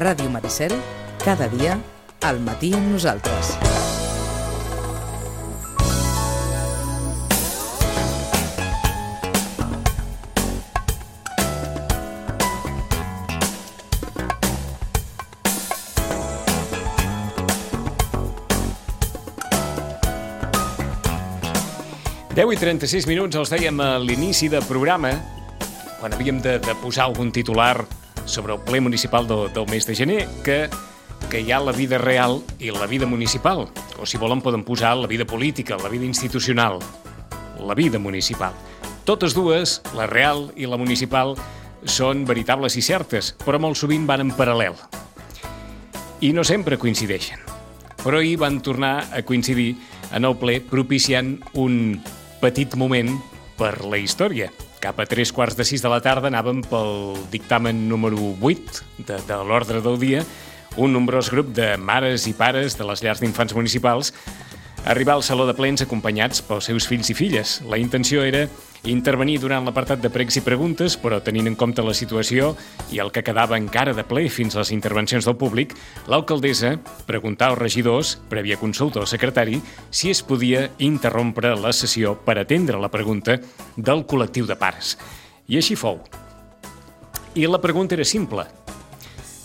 Ràdio Maricel, cada dia, al matí amb nosaltres. I 36 minuts, els dèiem a l'inici del programa, quan havíem de posar algun titular sobre el ple municipal del mes de gener, que hi ha la vida real i la vida municipal, o si volen poden posar la vida política, la vida institucional, la vida municipal. Totes dues, la real i la municipal, són veritables i certes, però molt sovint van en paral·lel. I no sempre coincideixen. Però ahir van tornar a coincidir en el ple propiciant un petit moment per la història. Cap a 3:15 de la tarda anàvem pel dictamen número 8 de l'ordre del dia, un nombrós grup de mares i pares de les llars d'infants municipals arribar al saló de plens acompanyats pels seus fills i filles. La intenció era intervenir durant l'apartat de pregs i preguntes, però tenint en compte la situació i el que quedava encara de ple fins a les intervencions del públic, l'alcaldessa preguntà als regidors, prèvia consulta al secretari, si es podia interrompre la sessió per atendre la pregunta del col·lectiu de pares. I així fou. I la pregunta era simple.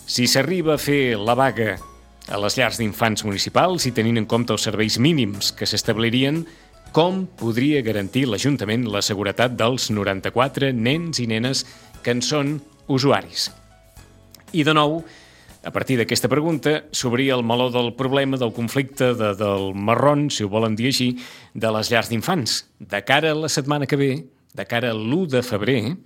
Si s'arriba a fer la vaga a les llars d'infants municipals i tenint en compte els serveis mínims que s'establirien, com podria garantir l'Ajuntament la seguretat dels 94 nens i nenes que en són usuaris? I de nou, a partir d'aquesta pregunta, s'obria el meló del problema del conflicte del marrón, si ho volen dir així, de les llars d'infants. De cara a la setmana que ve, de cara a l'1 de febrer,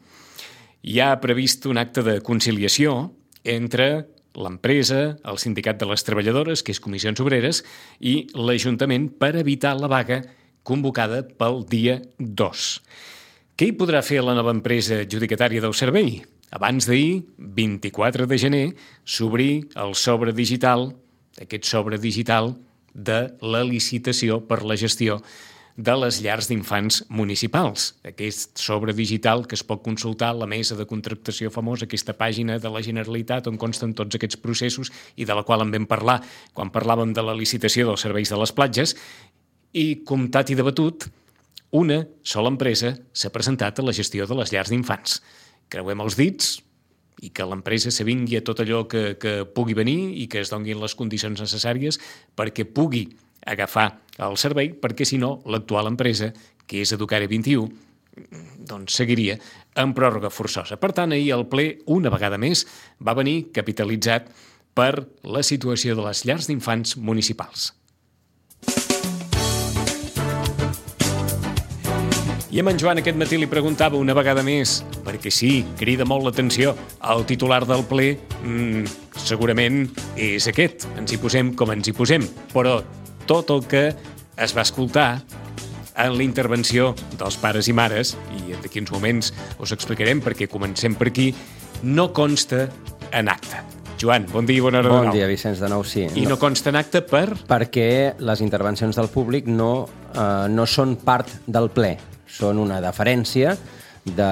hi ha previst un acte de conciliació entre l'empresa, el sindicat de les treballadores, que és Comissions Obreres, i l'Ajuntament per evitar la vaga convocada pel dia 2. Què hi podrà fer la nova empresa adjudicatària del servei? Abans d'ahir, 24 de gener, s'obrí el sobre digital, aquest sobre digital de la licitació per la gestió de les llars d'infants municipals. Aquest sobre digital que es pot consultar a la mesa de contractació famosa, aquesta pàgina de la Generalitat on consten tots aquests processos i de la qual en vam parlar quan parlàvem de la licitació dels serveis de les platges. I, comptat i debatut, una sola empresa s'ha presentat a la gestió de les llars d'infants. Creuem els dits i que l'empresa s'avingui a tot allò que pugui venir i que es donguin les condicions necessàries perquè pugui agafar el servei, perquè si no, l'actual empresa, que és Educare 21, doncs seguiria en pròrroga forçosa. Per tant, ahir el ple, una vegada més, va venir capitalitzat per la situació de les llars d'infants municipals. I amb en Joan aquest matí li preguntava una vegada més, perquè sí, crida molt l'atenció, el titular del ple segurament és aquest, ens hi posem com ens hi posem, però tot el que es va escoltar en la intervenció dels pares i mares, i d'aquí uns moments us explicarem perquè comencem per aquí, no consta en acte. Joan, bon dia i bona hora de nou. Bon dia, Vicenç, de nou, sí. I no consta en acte perquè les intervencions del públic no són part del ple. Són una deferència de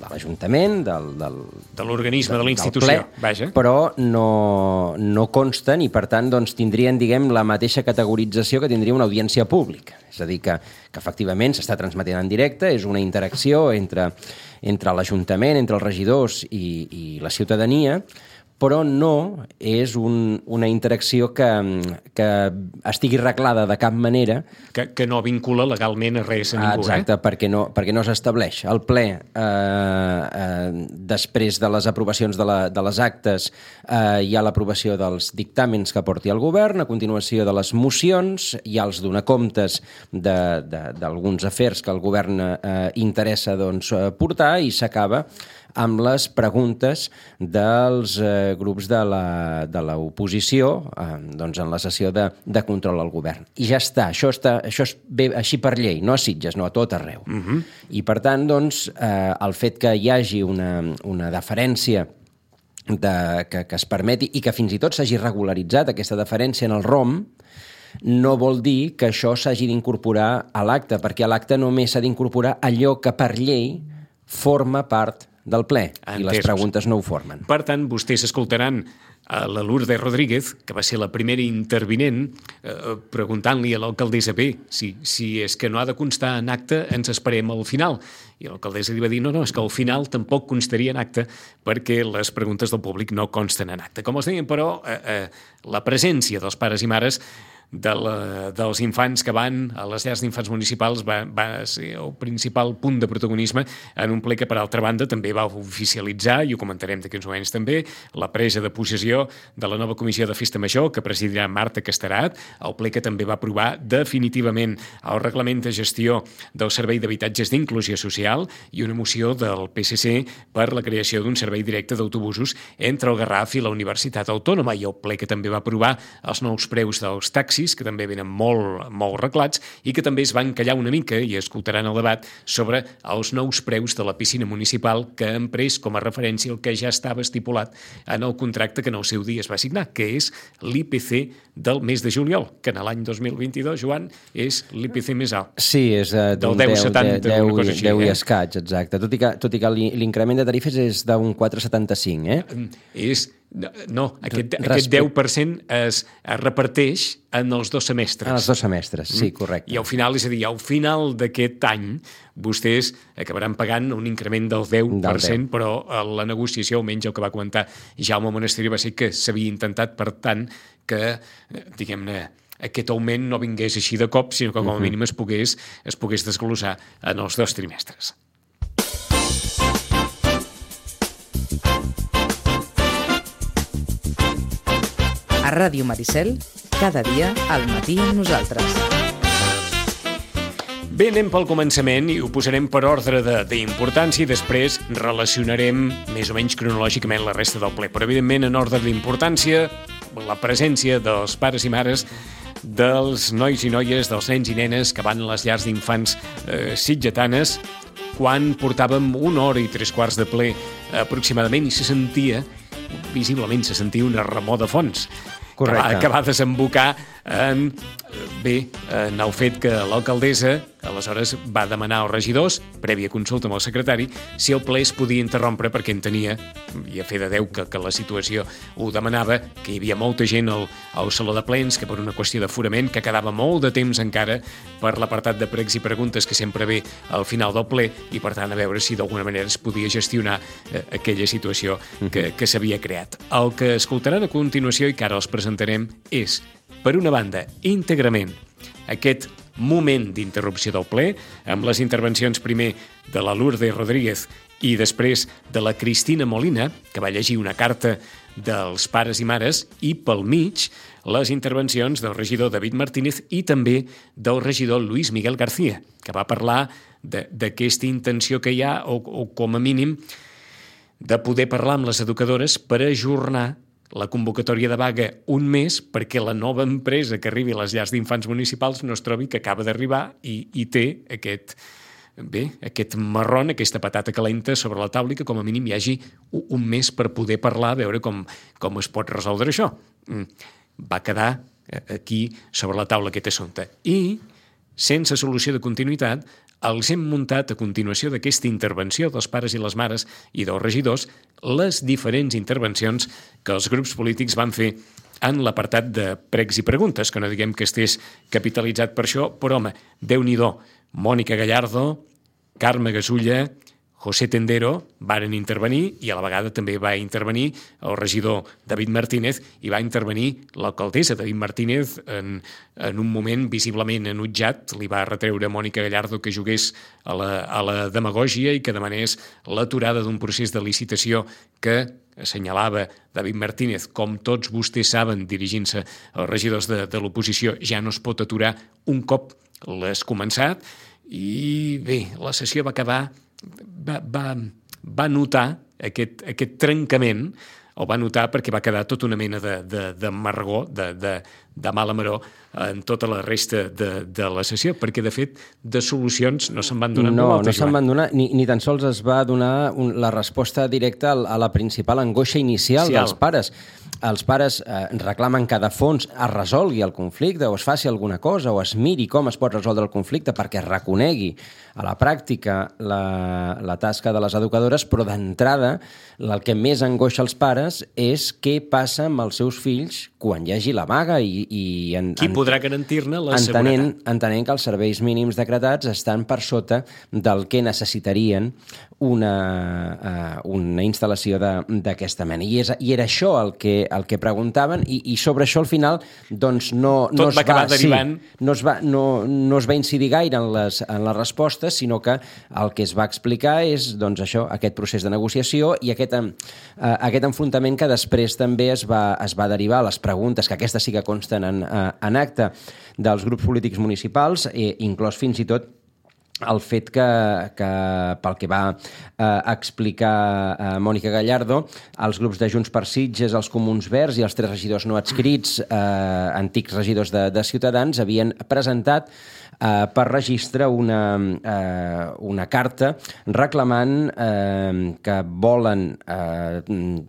l'Ajuntament, de l'organisme, de la institució, vaja. Però no consten i, per tant, doncs, tindrien, la mateixa categorització que tindria una audiència pública. És a dir, que efectivament s'està transmetent en directe, és una interacció entre l'Ajuntament, entre els regidors i la ciutadania, però no és una interacció que estigui reglada de cap manera. Que no vincula legalment a res a ningú. Exacte, perquè no s'estableix. El ple, després de les aprovacions de les actes, hi ha l'aprovació dels dictàmens que porti el govern, a continuació de les mocions, hi ha els donacomptes d'alguns afers que el govern interessa portar i s'acaba amb les preguntes dels grups de l'oposició en la sessió de control al govern. I ja està, això és bé així per llei, no a Sitges, no a tot arreu. I per tant, el fet que hi hagi una deferència que es permeti i que fins i tot s'hagi regularitzat aquesta deferència en el ROM, no vol dir que això s'hagi d'incorporar a l'acte, perquè a l'acte només s'ha d'incorporar allò que per llei forma part del ple, Entesos. I les preguntes no ho formen. Per tant, vostès escoltaran a la Lourdes Rodríguez, que va ser la primera intervinent, preguntant-li a l'alcaldessa si és que no ha de constar en acte, ens esperem al final. I l'alcaldessa li va dir, no, és que al final tampoc constaria en acte perquè les preguntes del públic no consten en acte. Com els deien, però, la presència dels pares i mares dels infants que van a les llars d'infants municipals va ser el principal punt de protagonisme en un ple que, per altra banda, també va oficialitzar, i ho comentarem d'aquí uns moments també, la presa de possessió de la nova comissió de Festa Major que presidirà Marta Casterat, el ple que també va aprovar definitivament el reglament de gestió del Servei d'Habitatges d'Inclusió Social i una moció del PSC per la creació d'un servei directe d'autobusos entre el Garraf i la Universitat Autònoma, i el ple que també va aprovar els nous preus dels taxis, que també venen molt reglats i que també es van callar una mica i escoltaran el debat sobre els nous preus de la piscina municipal que han pres com a referència el que ja estava estipulat en el contracte que en el seu dia es va signar, que és l'IPC del mes de juliol, que en l'any 2022, Joan, és l'IPC més alt. Sí, és del 10,70, una cosa així. 10 i escaig, exacte. Tot i que l'increment de tarifes és d'un 4,75, No, aquest 10% es reparteix en els 2 semestres. En els 2 semestres, sí, correcte. I al final, és a dir, al final d'aquest any, vostès acabaran pagant un increment del 10%, però la negociació, almenys el que va comentar Jaume Monastiri, va ser que s'havia intentat, per tant, que, diguem-ne, aquest augment no vingués així de cop, sinó que com a mínim es pogués desglossar en els 2 trimestres. A Ràdio Maricel, cada dia al matí amb nosaltres. Bé, anem pel començament i ho posarem per ordre d'importància i després relacionarem més o menys cronològicament la resta del ple. Però, evidentment, en ordre d'importància, la presència dels pares i mares, dels nois i noies, dels nens i nenes que van a les llars d'infants sitgetanes, quan portàvem 1 hora i 3/4 de ple aproximadament, i visiblement se sentia una remor de fons. Correcte. Que va desembocar en el fet que l'alcaldessa aleshores va demanar als regidors, prèvia consulta amb el secretari, si el ple es podia interrompre perquè entenia, i a fer de Déu que la situació ho demanava, que hi havia molta gent al saló de plens, que per una qüestió d'aforament, que quedava molt de temps encara per l'apartat de pregs i preguntes que sempre ve al final del ple, i per tant a veure si d'alguna manera es podia gestionar aquella situació que s'havia creat. El que escoltaran a continuació i que ara els presentarem és, per una banda, íntegrament aquest moment d'interrupció del ple, amb les intervencions primer de la Lourdes Rodríguez i després de la Cristina Molina, que va llegir una carta dels pares i mares, i pel mig les intervencions del regidor David Martínez i també del regidor Luis Miguel García, que va parlar d'aquesta intenció que hi ha, o com a mínim, de poder parlar amb les educadores per ajornar la convocatòria de vaga un mes perquè la nova empresa que arribi a les llars d'infants municipals no es trobi que acaba d'arribar i té aquest marrón, aquesta patata calenta sobre la taula, i que com a mínim hi hagi un mes per poder parlar, a veure com es pot resoldre això. Va quedar aquí sobre la taula aquest assumpte. I, sense solució de continuïtat, els hem muntat a continuació d'aquesta intervenció dels pares i les mares i dels regidors les diferents intervencions que els grups polítics van fer en l'apartat de pregs i preguntes, que no diguem que estés capitalitzat per això, però home, Déu-n'hi-do, Mònica Gallardo, Carme Gasulla, José Tendero varen intervenir, i a la vegada també va intervenir el regidor David Martínez i va intervenir l'alcaldessa David Martínez en un moment visiblement enutjat. Li va retreure a Mònica Gallardo que jugués a la demagògia i que demanés l'aturada d'un procés de licitació que assenyalava David Martínez, com tots vostès saben, dirigint-se als regidors de l'oposició, ja no es pot aturar un cop l'has començat. I bé, la sessió va acabar, va notar aquest trencament, o va notar perquè va quedar tota una mena d'amargor, de mala maror en tota la resta de la sessió, perquè, de fet, de solucions no se'n van donar No se'n van donar, ni tan sols es va donar la resposta directa a la principal angoixa inicial dels pares. Els pares reclamen que de fons es resolgui el conflicte o es faci alguna cosa o es miri com es pot resoldre el conflicte perquè es reconegui a la pràctica la tasca de les educadores, però d'entrada el que més angoixa els pares és què passa amb els seus fills quan hi hagi la vaga qui podrà garantir-ne la seguretat? Entenent que els serveis mínims decretats estan per sota del que necessitarien una instal·lació d'aquesta mena. I era això el que preguntaven i sobre això al final doncs no es va incidir gaire en les respostes, sinó que el que es va explicar és doncs això, aquest procés de negociació i aquest enfrontament que després també es va derivar a les preguntes, que aquestes sí que consten en acte dels grups polítics municipals, inclòs fins i tot el fet que pel que va explicar Mònica Gallardo, els grups de Junts per Sitges, els Comuns Verds i els 3 regidors no adscrits, antics regidors de Ciutadans, havien presentat per registre una carta reclamant que volen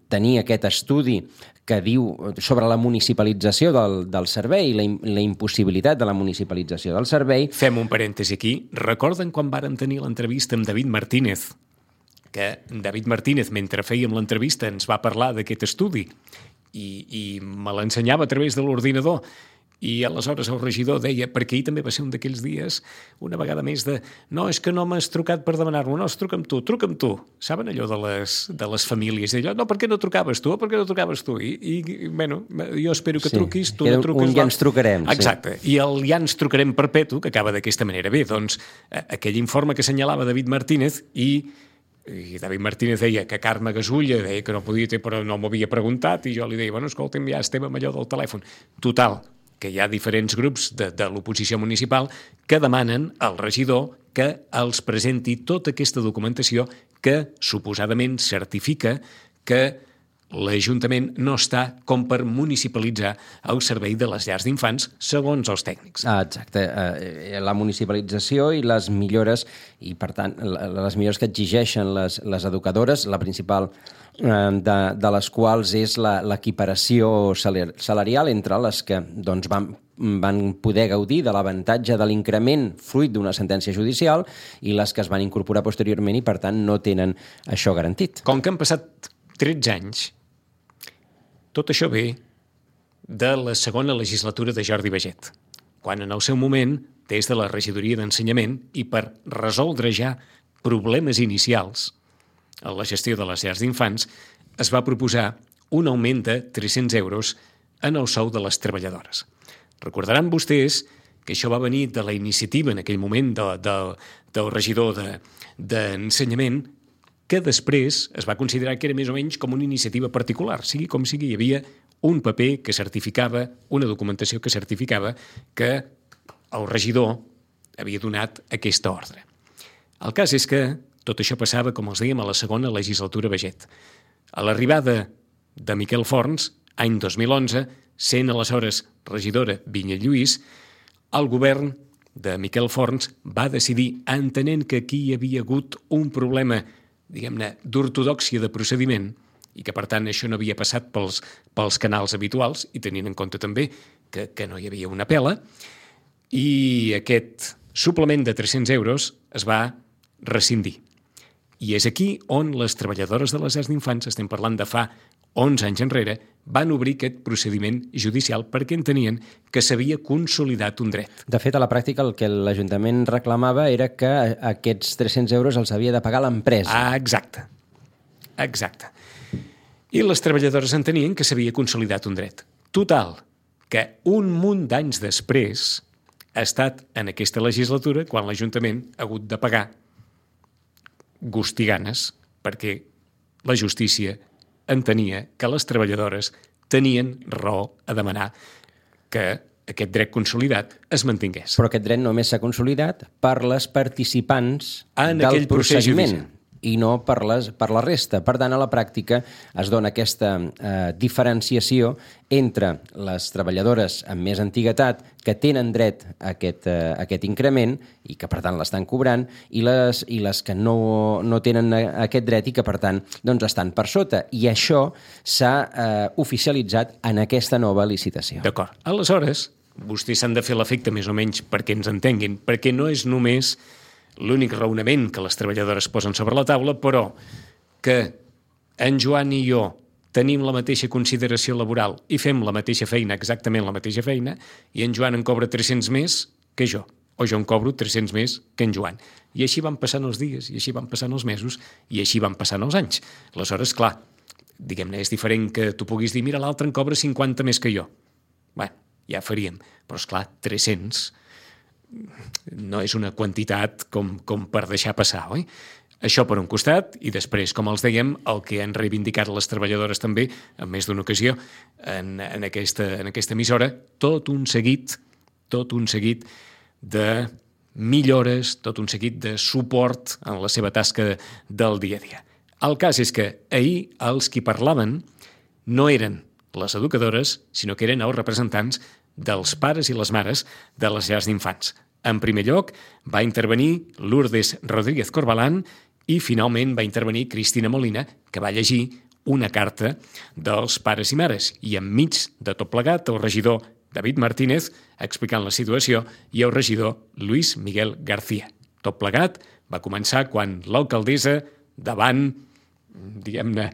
tenir aquest estudi que diu sobre la municipalització del servei, la impossibilitat de la municipalització del servei. Fem un parèntesi aquí. Recorden quan varen tenir l'entrevista amb David Martínez? Que David Martínez, mentre fèiem l'entrevista, ens va parlar d'aquest estudi i me l'ensenyava a través de l'ordinador. I aleshores el regidor deia, perquè ahir també va ser un d'aquells dies, una vegada més no, és que no m'has trucat per demanar-m'ho, no, truca amb tu. Saben allò de les famílies? Allò, no, per què no trucaves tu? I bueno, jo espero que truquis, tu no truques. Ja ens trucarem. Exacte. I el ja ens trucarem perpetu, que acaba d'aquesta manera. Bé, doncs, aquell informe que assenyalava David Martínez i David Martínez deia que Carme Gasulla deia que no podia, però no m'ho havia preguntat, i jo li deia, bueno, escolta'm, ja estem amb allò del telèfon. Total, que hi ha diferents grups de l'oposició municipal que demanen al regidor que els presenti tota aquesta documentació que suposadament certifica que l'Ajuntament no està com per municipalitzar el servei de les llars d'infants, segons els tècnics. Exacte. La municipalització i les millores, i per tant, les millores que exigeixen les educadores, la principal de les quals és l'equiparació salarial entre les que doncs, van poder gaudir de l'avantatge de l'increment fruit d'una sentència judicial i les que es van incorporar posteriorment i, per tant, no tenen això garantit. Com que han passat 13 anys, tot això ve de la segona legislatura de Jordi Baget, quan en el seu moment, des de la regidoria d'Ensenyament i per resoldre ja problemes inicials a la gestió de les llars d'infants, es va proposar un augment de 300 euros en el sou de les treballadores. Recordaran vostès que això va venir de la iniciativa en aquell moment del regidor d'Ensenyament, que després es va considerar que era més o menys com una iniciativa particular. Sigui com sigui, hi havia un paper que certificava, una documentació que certificava que el regidor havia donat aquesta ordre. El cas és que tot això passava, com els dèiem, a la segona legislatura Baget. A l'arribada de Miquel Forns, any 2011, sent aleshores regidora Vinyet Lluís, el govern de Miquel Forns va decidir, entenent que aquí hi havia hagut un problema, diguem-ne, d'ortodòxia de procediment i que, per tant, això no havia passat pels canals habituals i tenint en compte també que no hi havia una pela, i aquest suplement de 300 euros es va rescindir. I és aquí on les treballadores de les llars d'infants, estem parlant de fa 11 anys enrere, van obrir aquest procediment judicial perquè entenien que s'havia consolidat un dret. De fet, a la pràctica, el que l'Ajuntament reclamava era que aquests 300 euros els havia de pagar l'empresa. Ah, exacte. I les treballadores entenien que s'havia consolidat un dret. Total, que un munt d'anys després ha estat en aquesta legislatura quan l'Ajuntament ha hagut de pagar gust i ganes perquè la justícia entenia que les treballadores tenien raó a demanar que aquest dret consolidat es mantingués. Però aquest dret només s'ha consolidat per les participants del procediment. i no per la resta. Per tant, a la pràctica es dona aquesta diferenciació entre les treballadores amb més antiguitat que tenen dret a aquest increment i que, per tant, l'estan cobrant, i les que no tenen aquest dret i que, per tant, doncs estan per sota. I això s'ha oficialitzat en aquesta nova licitació. D'acord. Aleshores, vostès s'han de fer l'efecte més o menys perquè ens entenguin, perquè no és només l'únic raonament que les treballadores posen sobre la taula, però que en Joan i jo tenim la mateixa consideració laboral i fem la mateixa feina, exactament la mateixa feina, i en Joan en cobra 300 més que jo, o jo en cobro 300 més que en Joan. I així van passant els dies, i així van passant els mesos, i així van passant els anys. Aleshores, clar, diguem-ne, és diferent que tu puguis dir, mira, l'altre en cobra 50 més que jo. Bé, ja faríem, però esclar, 300 no és una quantitat com per deixar passar, oi? Això per un costat, i després, com els dèiem, el que han reivindicat les treballadores també, en més d'una ocasió, en aquesta emissora, tot un seguit de millores, tot un seguit de suport en la seva tasca del dia a dia. El cas és que ahir els qui parlaven no eren les educadores, sinó que eren els representants dels pares i les mares de les llars d'infants. En primer lloc, va intervenir Lourdes Rodríguez Corbalán i finalment va intervenir Cristina Molina, que va llegir una carta dels pares i mares. I enmig de tot plegat, el regidor David Martínez explicant la situació i el regidor Luis Miguel García. Tot plegat va començar quan l'alcaldessa, davant, diguem-ne,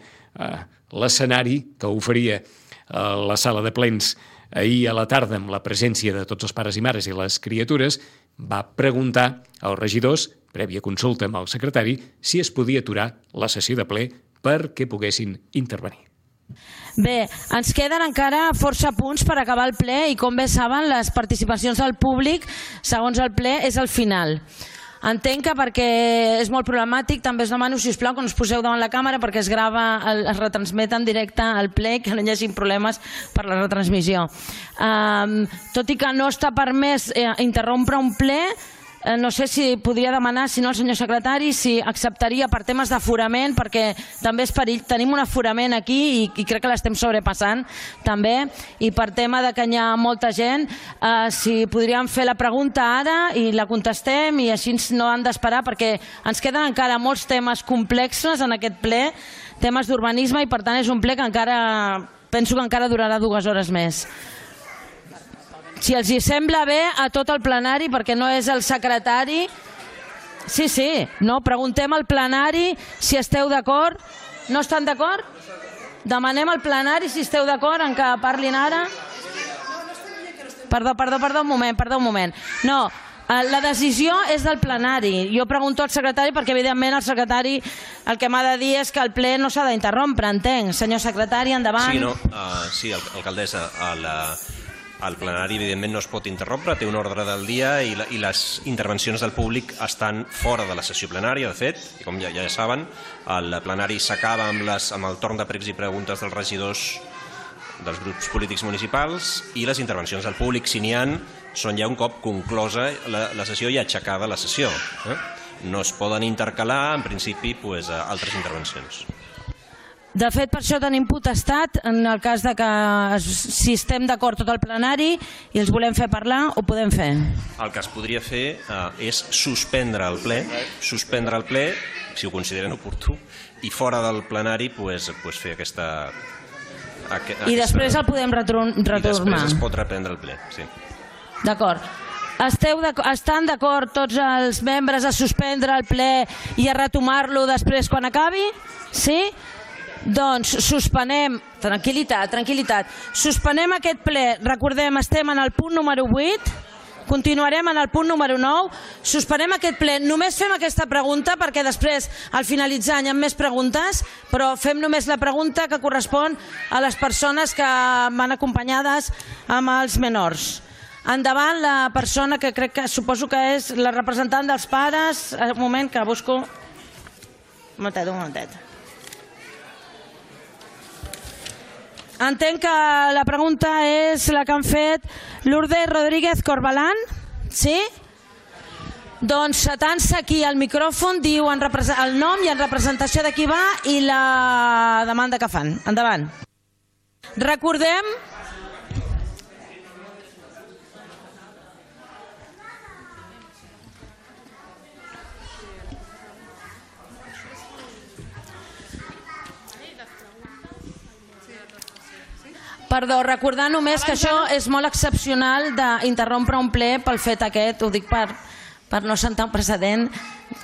l'escenari que oferia la sala de plens ahir a la tarda amb la presència de tots els pares i mares i les criatures, va preguntar als regidors, prèvia consulta amb el secretari, si es podia aturar la sessió de ple perquè poguessin intervenir. Bé, ens queden encara força punts per acabar el ple i, com bé saben, les participacions del públic, segons el ple, és al final. Entenc que perquè és molt problemàtic, també us demano, sisplau, que no us poseu davant la càmera perquè es grava, es retransmet en directe al ple, que no hi hagi problemes per la retransmissió. Tot i que no està permès interrompre un ple, no sé si podria demanar, si no, el senyor secretari, si acceptaria per temes d'aforament, perquè també és perill. Tenim un aforament aquí i crec que l'estem sobrepassant també, i per tema de que hi ha molta gent, si podríem fer la pregunta ara i la contestem i així no han d'esperar, perquè ens queden encara molts temes complexos en aquest ple, temes d'urbanisme, i per tant és un ple que encara, penso que encara durarà 2 hores més. Si els hi sembla bé a tot el plenari, perquè no és el secretari... Sí, no, preguntem al plenari si esteu d'acord. No estan d'acord? Demanem al plenari si esteu d'acord en que parlin ara. Perdó, un moment. No, la decisió és del plenari. Jo pregunto al secretari perquè, evidentment, el secretari el que m'ha de dir és que el ple no s'ha d'interrompre, entenc. Senyor secretari, endavant. Sí, alcaldessa, el plenari, evidentment, no es pot interrompre, té un ordre del dia i les intervencions del públic estan fora de la sessió plenària, de fet, i com ja saben, el plenari s'acaba amb el torn de pregs i preguntes dels regidors dels grups polítics municipals, i les intervencions del públic, si n'hi ha, són ja un cop conclosa la sessió i aixecada la sessió. No es poden intercalar, en principi, altres intervencions. De fet, per això tenim potestat, en el cas de que si estem d'acord tot el plenari i els volem fer parlar, ho podem fer. El que es podria fer és suspendre el ple, si ho consideren oportú, i fora del plenari fer aquesta... I després el podem retornar. I després es pot reprendre el ple, sí. D'acord. Estan d'acord tots els membres a suspendre el ple i a retomar-lo després quan acabi? Sí? Doncs suspenem, tranquil·litat, suspenem aquest ple, recordem, estem en el punt número 8, continuarem en el punt número 9, suspenem aquest ple, només fem aquesta pregunta perquè després, al finalitzar, hi ha més preguntes, però fem només la pregunta que correspon a les persones que van acompanyades amb els menors. Endavant la persona que crec que suposo que és la representant dels pares, un moment que busco, un momentet. Entenc que la pregunta és la que han fet Lourdes Rodríguez Corbalán, sí? Doncs s'atansa aquí al micròfon, diu el nom i en representació de qui va i la demanda que fan. Endavant. Recordem... Perdó, recordar només que això és molt excepcional d'interrompre un ple pel fet aquest, ho dic per no sentar un precedent,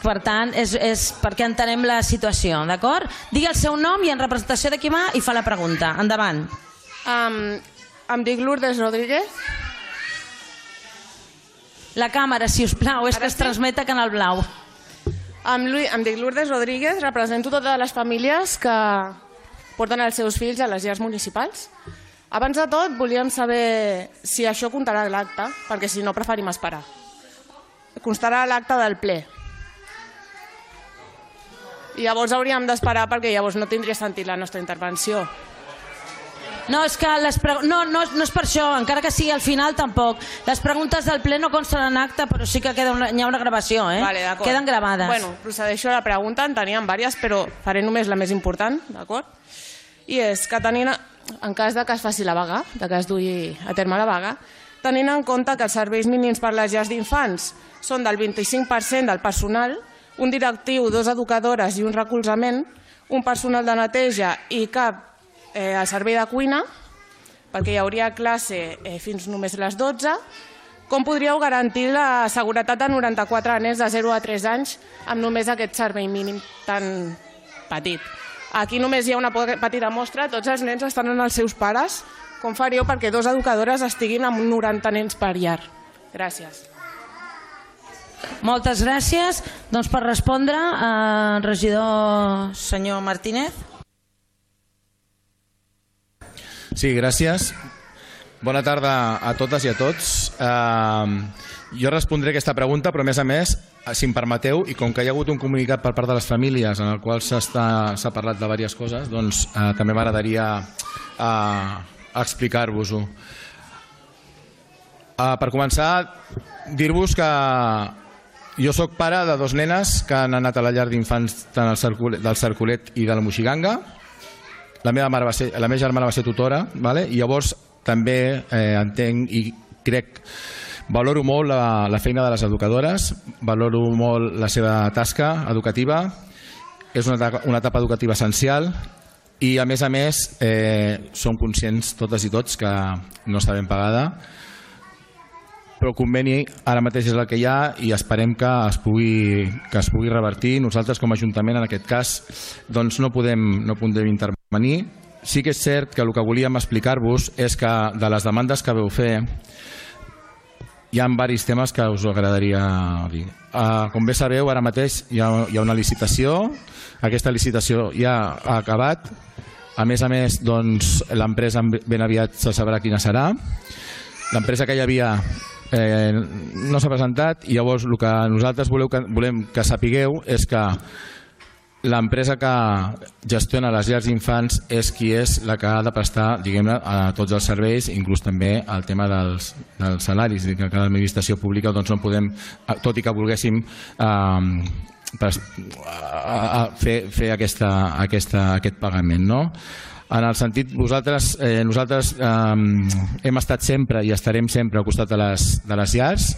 per tant, és perquè entenem la situació, d'acord? Digui el seu nom i en representació de qui va i fa la pregunta. Endavant. Em dic Lourdes Rodríguez. La càmera, si us plau, és que es transmet a Canal Blau. Em dic Lourdes Rodríguez, represento totes les famílies que porten els seus fills a les llars municipals. Abans de tot, volíem saber si això comptarà a l'acte, perquè si no preferim esperar. Constarà a l'acte del ple. I llavors hauríem d'esperar perquè llavors no tindria sentit la nostra intervenció. No, és que no és per això, encara que sigui al final tampoc. Les preguntes del ple no consten en acte, però sí que hi ha una gravació, Vale, d'acord. Queden gravades. Bueno, procedeixo a la pregunta, en teníem diverses, però faré només la més important, d'acord? I és que en cas de que es faci la vaga, de que es dugui a terme la vaga, tenint en compte que els serveis mínims per les llars d'infants són del 25% del personal, un directiu, 2 educadores i un recolzament, un personal de neteja i cap al servei de cuina, perquè hi hauria classe fins només a les 12, com podríeu garantir la seguretat de 94 nens de 0 a 3 anys amb només aquest servei mínim tan petit? Aquí només hi ha una petita mostra, tots els nens estan amb els seus pares. Com faríeu perquè 2 educadores estiguin amb 90 nens per llar? Gràcies. Moltes gràcies. Doncs per respondre, regidor senyor Martínez. Sí, gràcies. Bona tarda a totes i a tots. Jo respondré aquesta pregunta, però a més, si em permeteu, i com que hi ha hagut un comunicat per part de les famílies en el qual s'ha parlat de diverses coses, doncs també m'agradaria explicar-vos-ho. Per començar, dir-vos que jo sóc pare de 2 nenes que han anat a la llar d'infants tant del Cercolet i de la Moixiganga. La meva germana va ser tutora, i llavors també entenc i crec, valoro molt la feina de les educadores, valoro molt la seva tasca educativa, és una etapa educativa essencial i a més som conscients totes i tots que no està ben pagada, però el conveni ara mateix és el que hi ha i esperem que es pugui revertir. Nosaltres com a Ajuntament en aquest cas doncs no podem intervenir. Sí que és cert que el que volíem explicar-vos és que de les demandes que veu fer hi ha diversos temes que us agradaria dir. Com bé sabeu, ara mateix hi ha una licitació, aquesta licitació ja ha acabat, a més, doncs, l'empresa ben aviat se sabrà quina serà. L'empresa que hi havia no s'ha presentat i llavors el que nosaltres volem que sapigueu és que l'empresa que gestiona les llars d'infants és qui és la que ha de prestar, diguem-ne, a tots els serveis, inclús també el tema dels salaris, que cada administració pública doncs no podem, tot i que volguéssim fer aquest pagament, no? En el sentit, nosaltres hem estat sempre i estarem sempre al costat de les llars.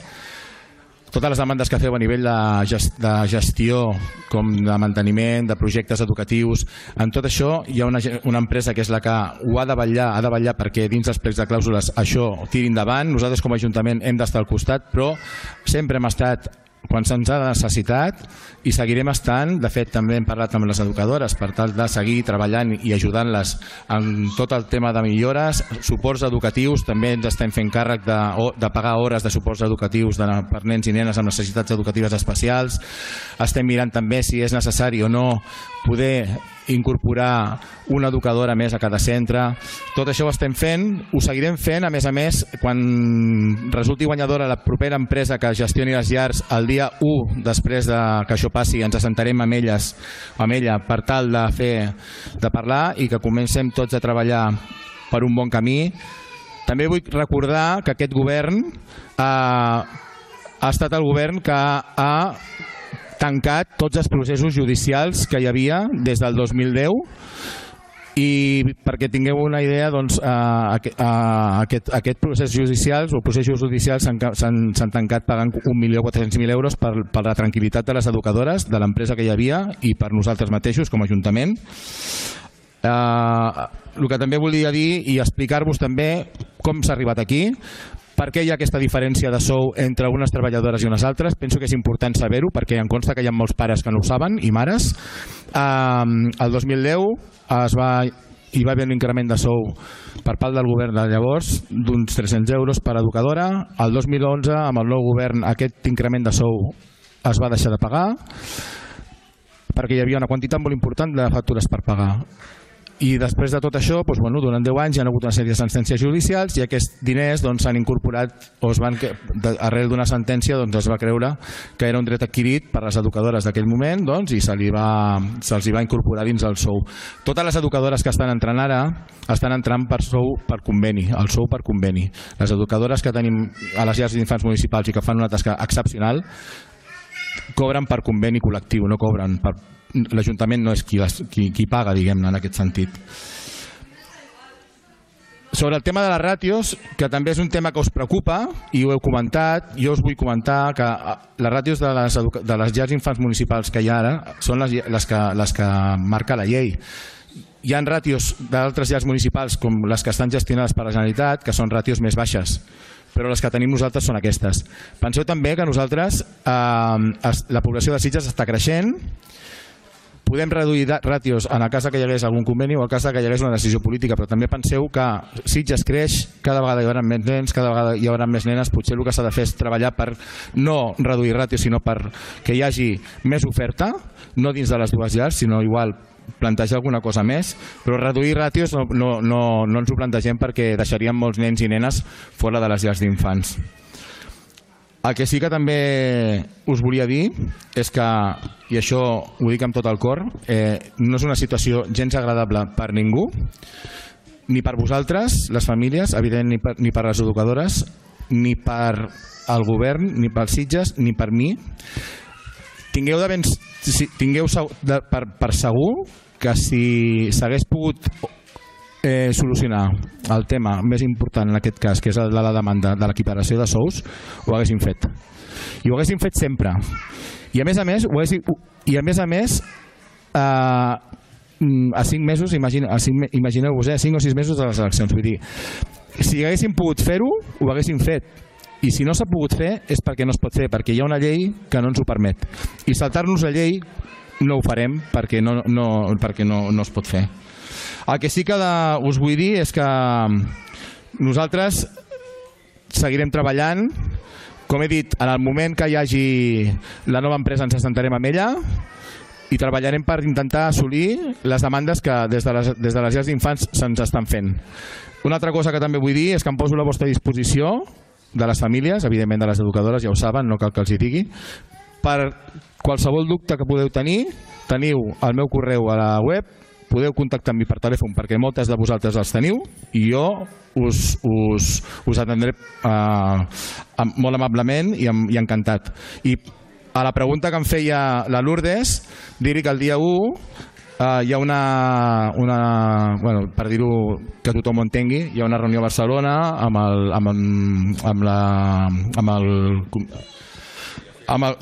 Totes les demandes que feu a nivell de gestió, com de manteniment, de projectes educatius, en tot això hi ha una empresa que és la que ho ha de vetllar perquè dins dels plecs de clàusules això tiri endavant. Nosaltres com a Ajuntament hem d'estar al costat, però sempre hem estat quan se'ns ha necessitat i seguirem estant. De fet, també hem parlat amb les educadores per tal de seguir treballant i ajudant-les en tot el tema de millores, suports educatius. També ens estem fent càrrec de pagar hores de suports educatius per nens i nenes amb necessitats educatives especials. Estem mirant també si és necessari o no poder incorporar una educadora més a cada centre. Tot això ho estem fent, ho seguirem fent. A més, quan resulti guanyadora la propera empresa que gestioni les llars, el dia 1 després que això passi, ens assentarem amb ella per tal de parlar i que comencem tots a treballar per un bon camí. També vull recordar que aquest govern ha estat el govern que ha tancat tots els processos judicials que hi havia des del 2010 i perquè tingueu una idea, doncs, aquest procés judicials o processos judicials s'han tancat pagant 1.400.000 euros per la tranquil·litat de les educadores, de l'empresa que hi havia i per nosaltres mateixos com a Ajuntament. El que també volia dir i explicar-vos també com s'ha arribat aquí, per què hi ha aquesta diferència de sou entre unes treballadores i unes altres. Penso que és important saber-ho perquè em consta que hi ha molts pares que no ho saben i mares. El 2010 hi va haver un increment de sou per part del govern de llavors d'uns 300 euros per educadora. El 2011, amb el nou govern, aquest increment de sou es va deixar de pagar perquè hi havia una quantitat molt important de factures per pagar. I després de tot això, durant 10 anys hi ha hagut una sèrie de sentències judicials i aquests diners s'han incorporat o arrel d'una sentència es va creure que era un dret adquirit per les educadores d'aquell moment i se'ls va incorporar dins el sou. Totes les educadores que estan entrant ara estan entrant per sou per conveni, el sou per conveni. Les educadores que tenim a les llars d'infants municipals i que fan una tasca excepcional cobren per conveni col·lectiu, no cobren per... L'Ajuntament no és qui paga, diguem-ne, en aquest sentit. Sobre el tema de les ràtios, que també és un tema que us preocupa, i ho heu comentat, jo us vull comentar que les ràtios de les llars d'infants municipals que hi ha ara són les que marca la llei. Hi ha ràtios d'altres llars municipals, com les que estan gestionades per la Generalitat, que són ràtios més baixes, però les que tenim nosaltres són aquestes. Penseu també que nosaltres, la població de Sitges està creixent, podem reduir ràtios en el cas que hi hagués algun conveni o en el cas que hi hagués una decisió política, però també penseu que Sitges creix, cada vegada hi haurà més nens, cada vegada hi haurà més nenes, potser el que s'ha de fer és treballar per no reduir ràtios, sinó per que hi hagi més oferta, no dins de les dues llars, sinó igual plantejar alguna cosa més, però reduir ràtios no ens ho plantegem perquè deixaríem molts nens i nenes fora de les llars d'infants. El que sí que també us volia dir és que, i això ho dic amb tot el cor, no és una situació gens agradable per ningú, ni per vosaltres, les famílies, evident, ni per les educadores, ni per el govern, ni pels Sitges, ni per mi. Tingueu per segur que si s'hagués pogut solucionar el tema més important en aquest cas, que és la demanda de l'equiparació de sous, ho haguéssim fet. I ho haguéssim fet sempre. I a més a més, a 5 mesos, imagineu-vos, a 5 o 6 mesos de les eleccions. Vull dir, si haguéssim pogut fer-ho, ho haguéssim fet. I si no s'ha pogut fer és perquè no es pot fer, perquè hi ha una llei que no ens ho permet. I saltar-nos la llei no ho farem perquè no es pot fer. El que sí que us vull dir és que nosaltres seguirem treballant. Com he dit, en el moment que hi hagi la nova empresa ens assentarem amb ella i treballarem per intentar assolir les demandes que des de les llars d'infants se'ns estan fent. Una altra cosa que també vull dir és que em poso a la vostra disposició, de les famílies, evidentment de les educadores, ja ho saben, no cal que els hi digui, per qualsevol dubte que podeu tenir, teniu el meu correu a la web, podeu contactar amb mi per telèfon perquè moltes de vosaltres els teniu i jo us atendré molt amablement i encantat. I a la pregunta que em feia la Lourdes, dir-hi que el dia 1 hi ha per dir-ho que tothom ho entengui, hi ha una reunió a Barcelona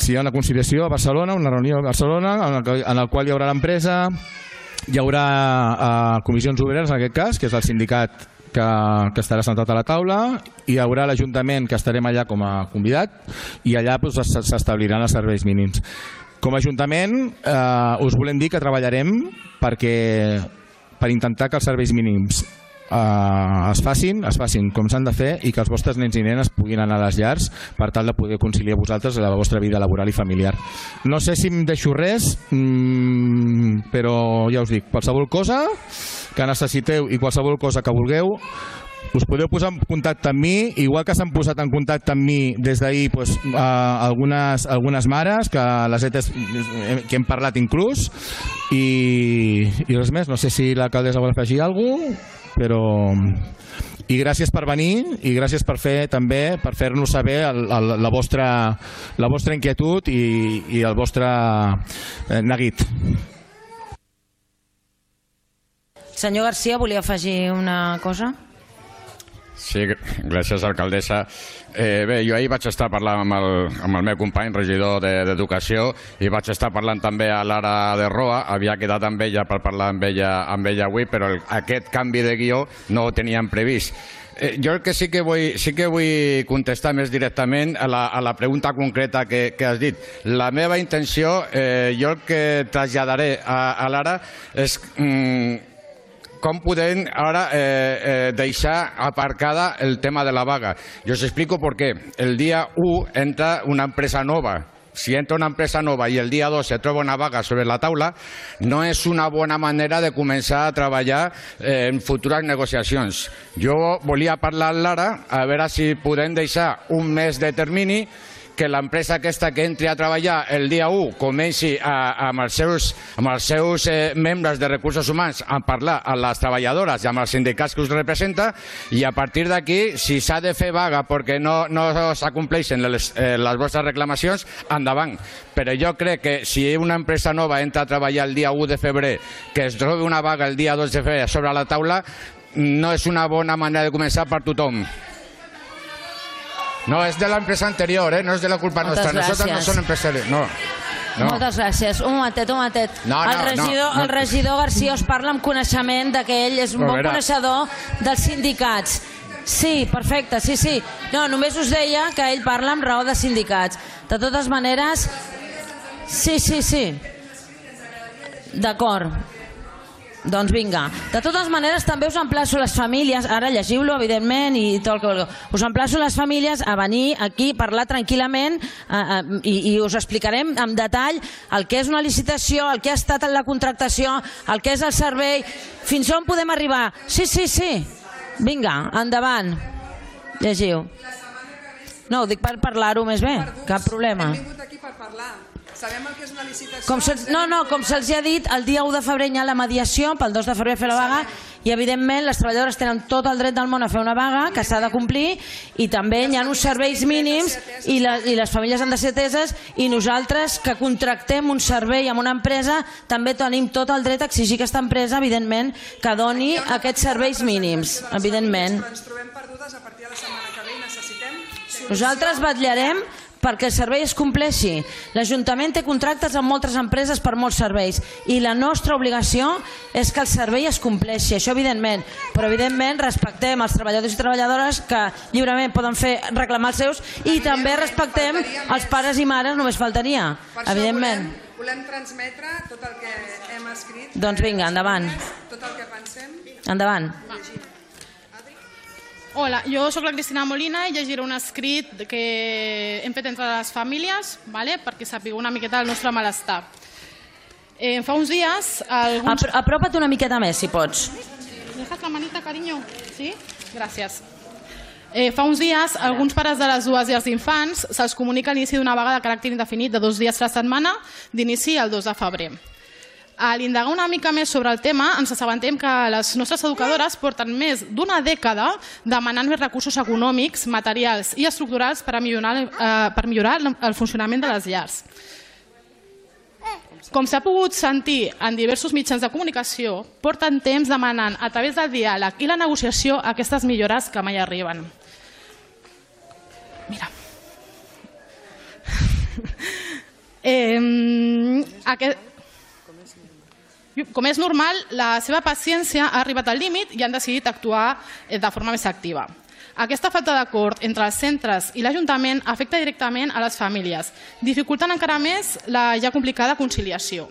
si hi ha una conciliació a Barcelona, una reunió a Barcelona en el qual hi haurà l'empresa, hi haurà comissions obreres en aquest cas, que és el sindicat que estarà sentat a la taula, hi haurà l'Ajuntament que estarem allà com a convidat i allà s'establiran els serveis mínims. Com a Ajuntament us volem dir que treballarem per intentar que els serveis mínims es facin com s'han de fer i que els vostres nens i nenes puguin anar a les llars per tal de poder conciliar vosaltres la vostra vida laboral i familiar. No sé si em deixo res, però ja us dic, qualsevol cosa que necessiteu i qualsevol cosa que vulgueu, us podeu posar en contacte amb mi, igual que s'han posat en contacte amb mi des d'ahir algunes mares que hem parlat inclús, i res més. No sé si l'alcaldessa vol afegir alguna cosa, però I gràcies per venir i gràcies per fer-nos saber la vostra inquietud i el vostre neguit. Senyor Garcia, volia afegir una cosa? Sí, gràcies, alcaldessa. Bé, jo ahir vaig estar parlant amb el meu company, regidor d'Educació, i vaig estar parlant també a l'Ara de Roa. Havia quedat amb ella per parlar amb ella avui, però aquest canvi de guió no ho teníem previst. Jo el que sí que vull contestar més directament a la pregunta concreta que has dit. La meva intenció, jo el que traslladaré a l'Ara és com podem ara deixar aparcada el tema de la vaga. Yo os explico por qué. El día 1 entra una empresa nova. Si entra una empresa nova i el dia 2 se troba una vaga sobre la taula, no és una bona manera de començar a treballar en futures negociacions. Jo volia parlar amb l'Ara a veure si podem deixar un mes de termini, que l'empresa aquesta que entri a treballar el dia 1 comenci amb els seus membres de recursos humans a parlar amb les treballadores i amb els sindicats que us representa, i a partir d'aquí, si s'ha de fer vaga perquè no s'acompleixen les vostres reclamacions, endavant. Però jo crec que si una empresa nova entra a treballar el dia 1 de febrer, que es trobi una vaga el dia 2 de febrer sobre la taula, no és una bona manera de començar per tothom. No, és de l'empresa anterior, no és de la culpa nostra. Nosaltres no som empresaris. No. Moltes gràcies. Un momentet. El regidor Garcia us parla amb coneixement que ell és un bon coneixedor dels sindicats. Sí, perfecte, sí. No, només us deia que ell parla amb raó de sindicats. De totes maneres... Sí. D'acord. Doncs vinga. De totes maneres, també us emplaço les famílies, ara llegiu-lo, evidentment, i tot el que vulgueu. Us emplaço les famílies a venir aquí, parlar tranquil·lament, i us explicarem en detall el que és una licitació, el que ha estat en la contractació, el que és el servei, fins on podem arribar. Sí. Vinga, endavant. Llegiu. No, ho dic per parlar-ho més bé, cap problema. Hem vingut aquí per parlar. Sabem el que és una licitació... Com se'ls ha dit, el dia 1 de febrer hi ha la mediació, pel 2 de febrer fer la vaga, i evidentment les treballadores tenen tot el dret del món a fer una vaga, que s'ha de complir, i també hi ha uns serveis mínims, i les famílies han de ser ateses, i nosaltres que contractem un servei amb una empresa també tenim tot el dret a exigir a aquesta empresa, evidentment, que doni aquests serveis mínims, evidentment. Ens trobem perdudes a partir de la setmana que ve i necessitem... Nosaltres vetllarem perquè el servei es compleixi. L'Ajuntament té contractes amb moltes empreses per molts serveis i la nostra obligació és que el servei es compleixi, això evidentment, però evidentment respectem els treballadors i treballadores que lliurement poden reclamar els seus, i també respectem els pares i mares, només faltaria, evidentment. Volem transmetre tot el que hem escrit. Doncs vinga, endavant. Tot el que pensem. Endavant. Hola, jo sóc la Cristina Molina i llegiré un escrit que hem fet entre les famílies, perquè sapigueu una miqueta el nostre malestar. Fa uns dies... Apropa't una miqueta més, si pots. Dejas la manita, cariño? Sí? Gràcies. Fa uns dies, alguns pares de les dues llars d'infants se'ls comunica l'inici d'una vaga de caràcter indefinit de 2 dies a la setmana, d'inici el 2 de febrer. A l'indagar una mica més sobre el tema, ens assabentem que les nostres educadores porten més d'una dècada demanant més recursos econòmics, materials i estructurals per millorar el funcionament de les llars. Com s'ha pogut sentir en diversos mitjans de comunicació, porten temps demanant a través del diàleg i la negociació aquestes millores que mai arriben. Mira. Com és normal, la seva paciència ha arribat al límit i han decidit actuar de forma més activa. Aquesta falta d'acord entre els centres i l'Ajuntament afecta directament a les famílies, dificultant encara més la ja complicada conciliació.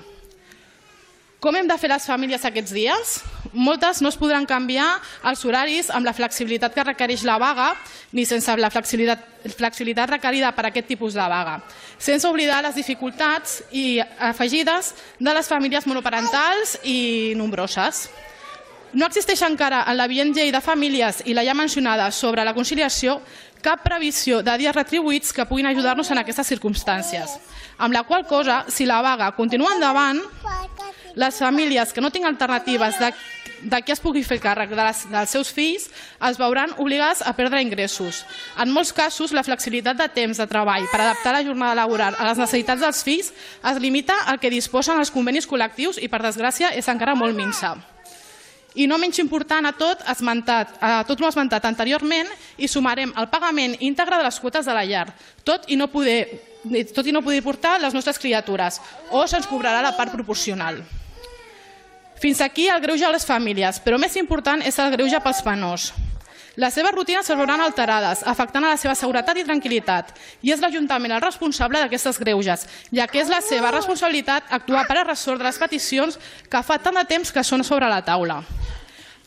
Com hem de fer les famílies aquests dies? Moltes no es podran canviar els horaris amb la flexibilitat que requereix la vaga ni sense la flexibilitat requerida per aquest tipus de vaga, sense oblidar les dificultats afegides de les famílies monoparentals i nombroses. No existeix encara en la vigent llei de famílies i la ja mencionada sobre la conciliació cap previsió de dies retribuïts que puguin ajudar-nos en aquestes circumstàncies, amb la qual cosa, si la vaga continua endavant, les famílies que no tinguin alternatives de qui es pugui fer càrrec dels seus fills es veuran obligats a perdre ingressos. En molts casos, la flexibilitat de temps de treball per adaptar la jornada laboral a les necessitats dels fills es limita al que disposen els convenis col·lectius i, per desgràcia, és encara molt minsa. I no menys important a tot l'esmentat anteriorment, hi sumarem el pagament íntegre de les quotes de la llar, tot i no poder portar les nostres criatures, o se'ns cobrarà la part proporcional. Fins aquí el greuge a les famílies, però més important és el greuge pels menors. Les seves rutines es veuran alterades, afectant a la seva seguretat i tranquil·litat, i és l'Ajuntament el responsable d'aquestes greuges, ja que és la seva responsabilitat actuar per a resoldre les peticions que fa tant de temps que són sobre la taula.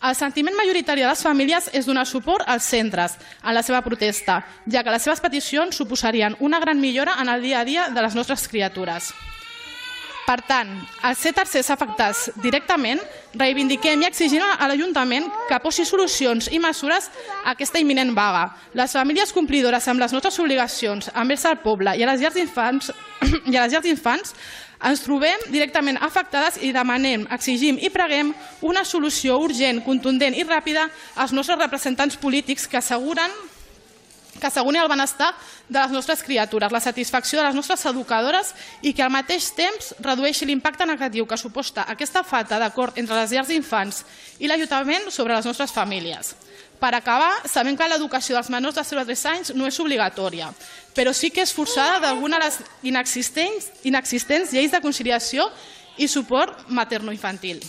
El sentiment majoritari de les famílies és donar suport als centres en la seva protesta, ja que les seves peticions suposarien una gran millora en el dia a dia de les nostres criatures. Per tant, als ser tercers afectats directament, reivindiquem i exigim a l'Ajuntament que posi solucions i mesures a aquesta imminent vaga. Les famílies complidores amb les nostres obligacions envers el poble i a les llars d'infants ens trobem directament afectades i demanem, exigim i preguem una solució urgent, contundent i ràpida als nostres representants polítics que asseguren el benestar de les nostres criatures, la satisfacció de les nostres educadores i que al mateix temps redueixi l'impacte negatiu que suposa aquesta falta d'acord entre les llars d'infants i l'Ajuntament sobre les nostres famílies. Per acabar, sabem que l'educació dels menors de 0 a 3 anys no és obligatòria, però sí que és forçada d'alguna de les inexistents lleis de conciliació i suport materno-infantil.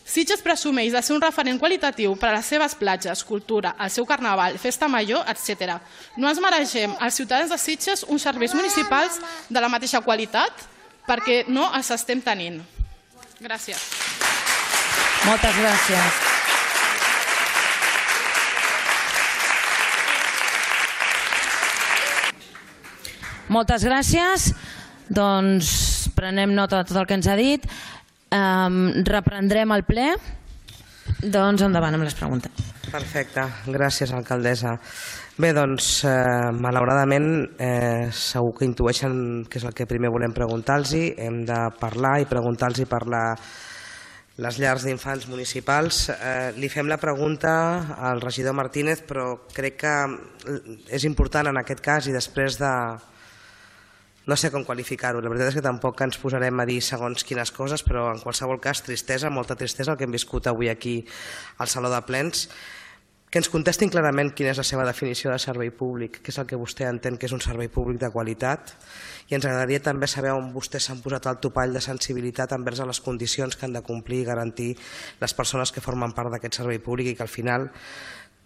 Sitges presumeix de ser un referent qualitatiu per a les seves platges, cultura, el seu carnaval, festa major, etc. No ens mereixem als ciutadans de Sitges uns serveis municipals de la mateixa qualitat perquè no els estem tenint. Gràcies. Moltes gràcies. Moltes gràcies. Doncs prenem nota de tot el que ens ha dit. Reprendrem el ple. Doncs endavant amb les preguntes. Perfecte, gràcies alcaldessa. Bé, doncs malauradament segur que intueixen que és el que primer volem preguntar-los. Hem de parlar i preguntar-los per les llars d'infants municipals. Li fem la pregunta al regidor Martínez, però crec que és important en aquest cas i després de... No sé com qualificar-ho, la veritat és que tampoc ens posarem a dir segons quines coses, però en qualsevol cas, tristesa, molta tristesa el que hem viscut avui aquí al Saló de Plens. Que ens contestin clarament quina és la seva definició de servei públic, què és el que vostè entén que és un servei públic de qualitat, i ens agradaria també saber on vostès s'han posat el topall de sensibilitat envers a les condicions que han de complir i garantir les persones que formen part d'aquest servei públic i que al final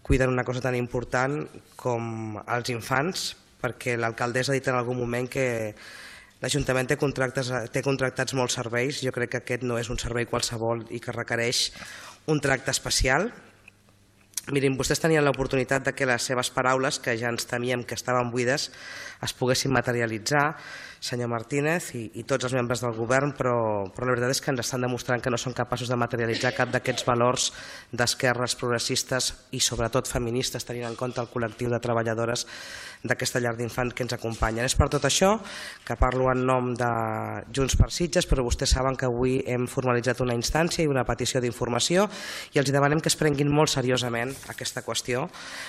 cuiden una cosa tan important com els infants, perquè l'alcaldessa ha dit en algun moment que l'Ajuntament té contractats molts serveis. Jo crec que aquest no és un servei qualsevol i que requereix un tracte especial. Mirin, vostès tenien l'oportunitat que les seves paraules, que ja ens temíem que estaven buides, es poguessin materialitzar, senyor Martínez i tots els membres del govern, però la veritat és que ens estan demostrant que no són capaços de materialitzar cap d'aquests valors d'esquerres progressistes i sobretot feministes, tenint en compte el col·lectiu de treballadores d'aquesta llar d'infants que ens acompanyen. És per tot això que parlo en nom de Junts per Sitges, però vostès saben que avui hem formalitzat una instància i una petició d'informació i els demanem que es prenguin molt seriosament aquesta qüestió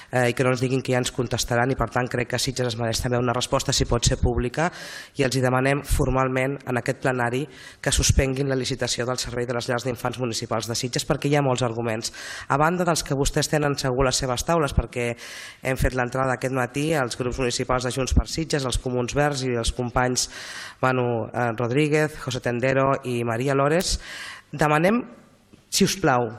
i que no ens diguin que ja ens contestaran, i per tant crec que Sitges es mereix també una resposta, si pot ser pública, i els demanem formalment en aquest plenari que suspenguin la licitació del servei de les llars d'infants municipals de Sitges, perquè hi ha molts arguments. A banda dels que vostès tenen segur a les seves taules, perquè hem fet l'entrada aquest matí als grups municipals de Junts per Sitges, els Comuns Verds i els companys Manu Rodríguez, José Tendero i Maria Lores, demanem, si us plau,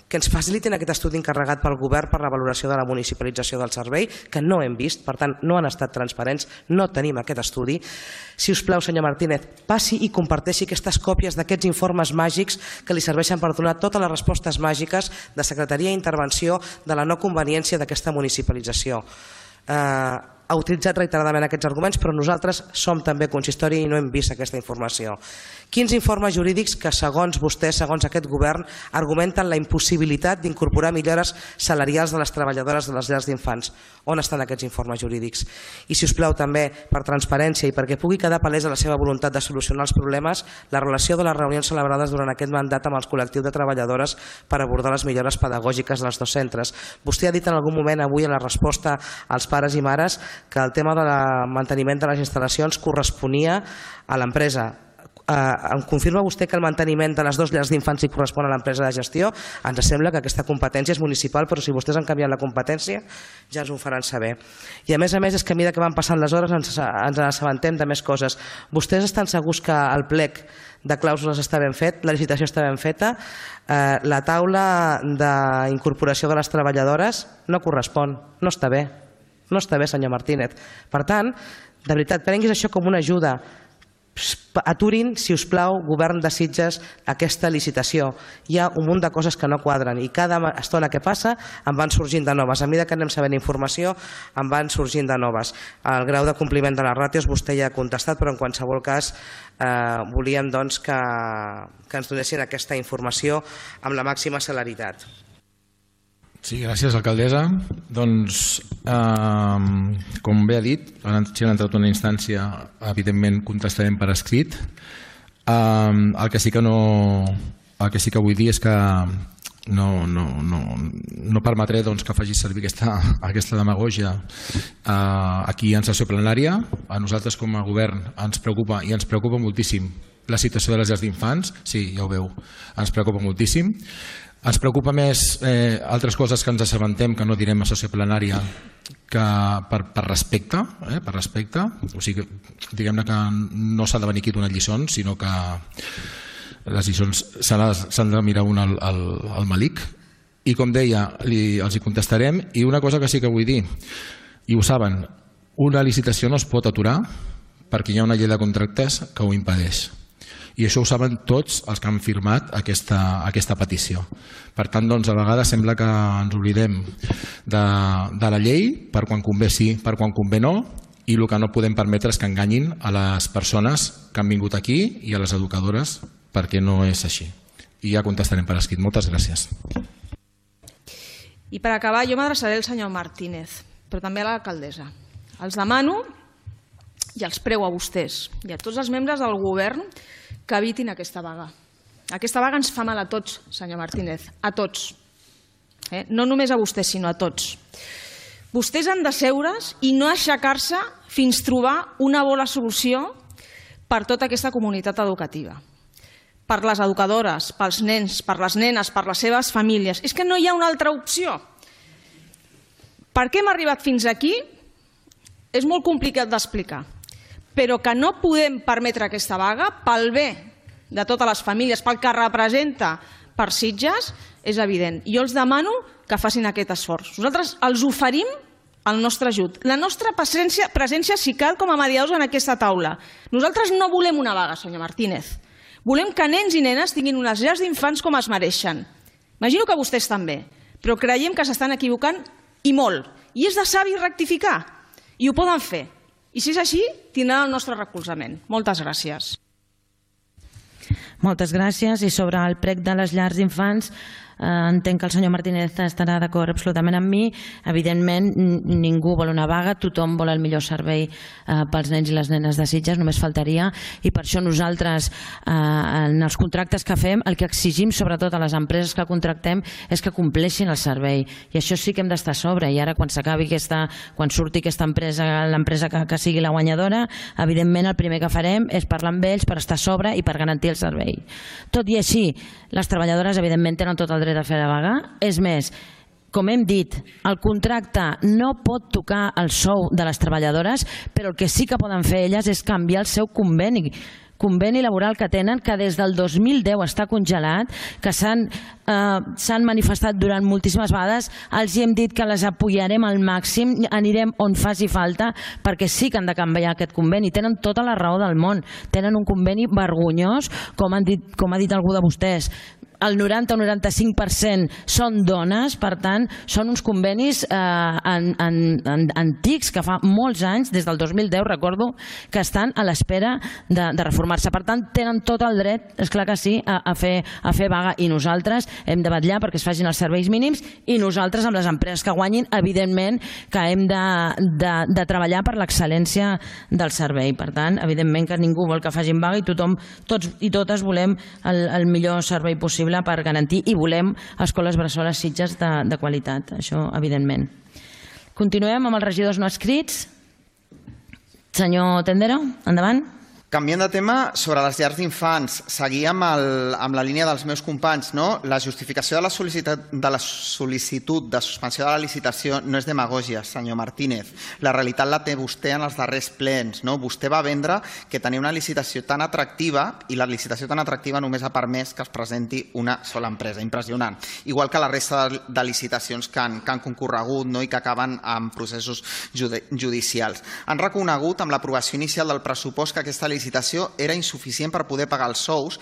que ens facilitin aquest estudi encarregat pel govern per la valoració de la municipalització del servei, que no hem vist, per tant no han estat transparents, no tenim aquest estudi. Si us plau, senyor Martínez, passi i comparteixi aquestes còpies d'aquests informes màgics que li serveixen per donar totes les respostes màgiques de secretaria i intervenció de la no conveniència d'aquesta municipalització. ha utilitzat reiteradament aquests arguments, però nosaltres som també consistori i no hem vist aquesta informació. Quins informes jurídics que, segons vostè, segons aquest govern, argumenten la impossibilitat d'incorporar millores salarials de les treballadores de les llars d'infants? On estan aquests informes jurídics? I, si us plau, també, per transparència i perquè pugui quedar palesa la seva voluntat de solucionar els problemes, la relació de les reunions celebrades durant aquest mandat amb els col·lectius de treballadores per abordar les millores pedagògiques dels dos centres. Vostè ha dit en algun moment avui en la resposta als pares i mares que el tema del manteniment de les instal·lacions corresponia a l'empresa. Em confirma vostè que el manteniment de les dues llars d'infants li correspon a l'empresa de gestió? Ens sembla que aquesta competència és municipal, però si vostès han canviat la competència ja ens ho faran saber. I a més és que a mesura que van passant les hores ens assabentem de més coses. Vostès estan segurs que el plec de clàusules està ben fet, la licitació està ben feta, la taula d'incorporació de les treballadores no correspon, no està bé. No està bé, senyor Martínez. Per tant, de veritat, prenguis això com una ajuda. Aturin, si us plau, govern de Sitges, aquesta licitació. Hi ha un munt de coses que no quadren i cada estona que passa en van sorgint de noves. A mesura que anem sabent informació, en van sorgint de noves. El grau de compliment de les ràtios vostè ja ha contestat, però en qualsevol cas volíem que ens donessin aquesta informació amb la màxima celeritat. Sí, gràcies, alcaldessa. Doncs, com bé ha dit, si han entrat una instància, evidentment contestarem per escrit. El que sí que vull dir és que no permetré que faci servir aquesta demagògia aquí en sessió plenària. A nosaltres com a govern ens preocupa, i ens preocupa moltíssim, la situació de les llars d'infants. Sí, ja ho veu, ens preocupa moltíssim. Ens preocupa més altres coses que ens assabentem, que no direm a sessió plenària, que per respecte, o sigui, diguem-ne que no s'ha de venir aquí a donar lliçons, sinó que les lliçons s'han de mirar un al malic. I com deia, els hi contestarem. I una cosa que sí que vull dir, i ho saben, una licitació no es pot aturar perquè hi ha una llei de contractes que ho impedeix. I això ho saben tots els que han firmat aquesta petició. Per tant, a vegades sembla que ens oblidem de la llei, per quan convé sí, per quan convé no, i el que no podem permetre és que enganyin a les persones que han vingut aquí i a les educadores, perquè no és així. I ja contestarem per escrit. Moltes gràcies. I per acabar, jo m'adreçaré al senyor Martínez, però també a l'alcaldessa. Els demano i els prego a vostès i a tots els membres del govern que evitin aquesta vaga. Aquesta vaga ens fa mal a tots, senyor Martínez, a tots. No només a vostès, sinó a tots. Vostès han de seure's i no aixecar-se fins trobar una bona solució per tota aquesta comunitat educativa. Per les educadores, pels nens, per les nenes, per les seves famílies. És que no hi ha una altra opció. Per què hem arribat fins aquí? És molt complicat d'explicar. Però que no podem permetre aquesta vaga pel bé de totes les famílies, pel que representa per Sitges, és evident. Jo els demano que facin aquest esforç. Nosaltres els oferim el nostre ajut, la nostra presència, si cal, com a mediadors en aquesta taula. Nosaltres no volem una vaga, senyor Martínez. Volem que nens i nenes tinguin unes llars d'infants com es mereixen. Imagino que vostès també, però creiem que s'estan equivocant i molt. I és de savi rectificar. I ho poden fer. I si és així, tindran el nostre recolzament. Moltes gràcies. Moltes gràcies. I sobre el prec de les llars d'infants, entenc que el senyor Martínez estarà d'acord absolutament amb mi. Evidentment, ningú vol una vaga, tothom vol el millor servei pels nens i les nenes de Sitges, només faltaria, i per això nosaltres, en els contractes que fem, el que exigim sobretot a les empreses que contractem és que compleixin el servei, i això sí que hem d'estar a sobre. I ara, quan surti aquesta empresa, l'empresa que sigui la guanyadora, evidentment el primer que farem és parlar amb ells per estar a sobre i per garantir el servei. Tot i així, les treballadores evidentment tenen tot el dret a fer la vaga. És més, com hem dit, el contracte no pot tocar el sou de les treballadores, però el que sí que poden fer elles és canviar el seu conveni laboral que tenen, que des del 2010 està congelat, que s'han manifestat durant moltíssimes vegades. Els hem dit que les apoyarem al màxim, anirem on faci falta, perquè sí que han de canviar aquest conveni. Tenen tota la raó del món. Tenen un conveni vergonyós, com ha dit algú de vostès. el 90 o 95% són dones, per tant, són uns convenis antics que fa molts anys, des del 2010, recordo, que estan a l'espera de reformar-se. Per tant, tenen tot el dret, esclar que sí, a fer vaga, i nosaltres hem de vetllar perquè es facin els serveis mínims, i nosaltres, amb les empreses que guanyin, evidentment que hem de treballar per l'excel·lència del servei. Per tant, evidentment que ningú vol que facin vaga i tothom, tots i totes volem el millor servei possible per garantir, i volem escoles bressoles Sitges de qualitat, això evidentment. Continuem amb els regidors no escrits. Senyor Tendero, endavant. Canviant de tema, sobre les llars d'infants, seguir amb la línia dels meus companys, no? La justificació de la sol·licitud de suspensió de la licitació no és demagògia, senyor Martínez. La realitat la té vostè en els darrers plens, no? Vostè va vendre que tenia una licitació tan atractiva, i la licitació tan atractiva només ha permès que es presenti una sola empresa. Impressionant. Igual que la resta de licitacions que han concorregut, no? I que acaben amb processos judicials. Han reconegut amb l'aprovació inicial del pressupost que aquesta licitació era insuficient per poder pagar els sous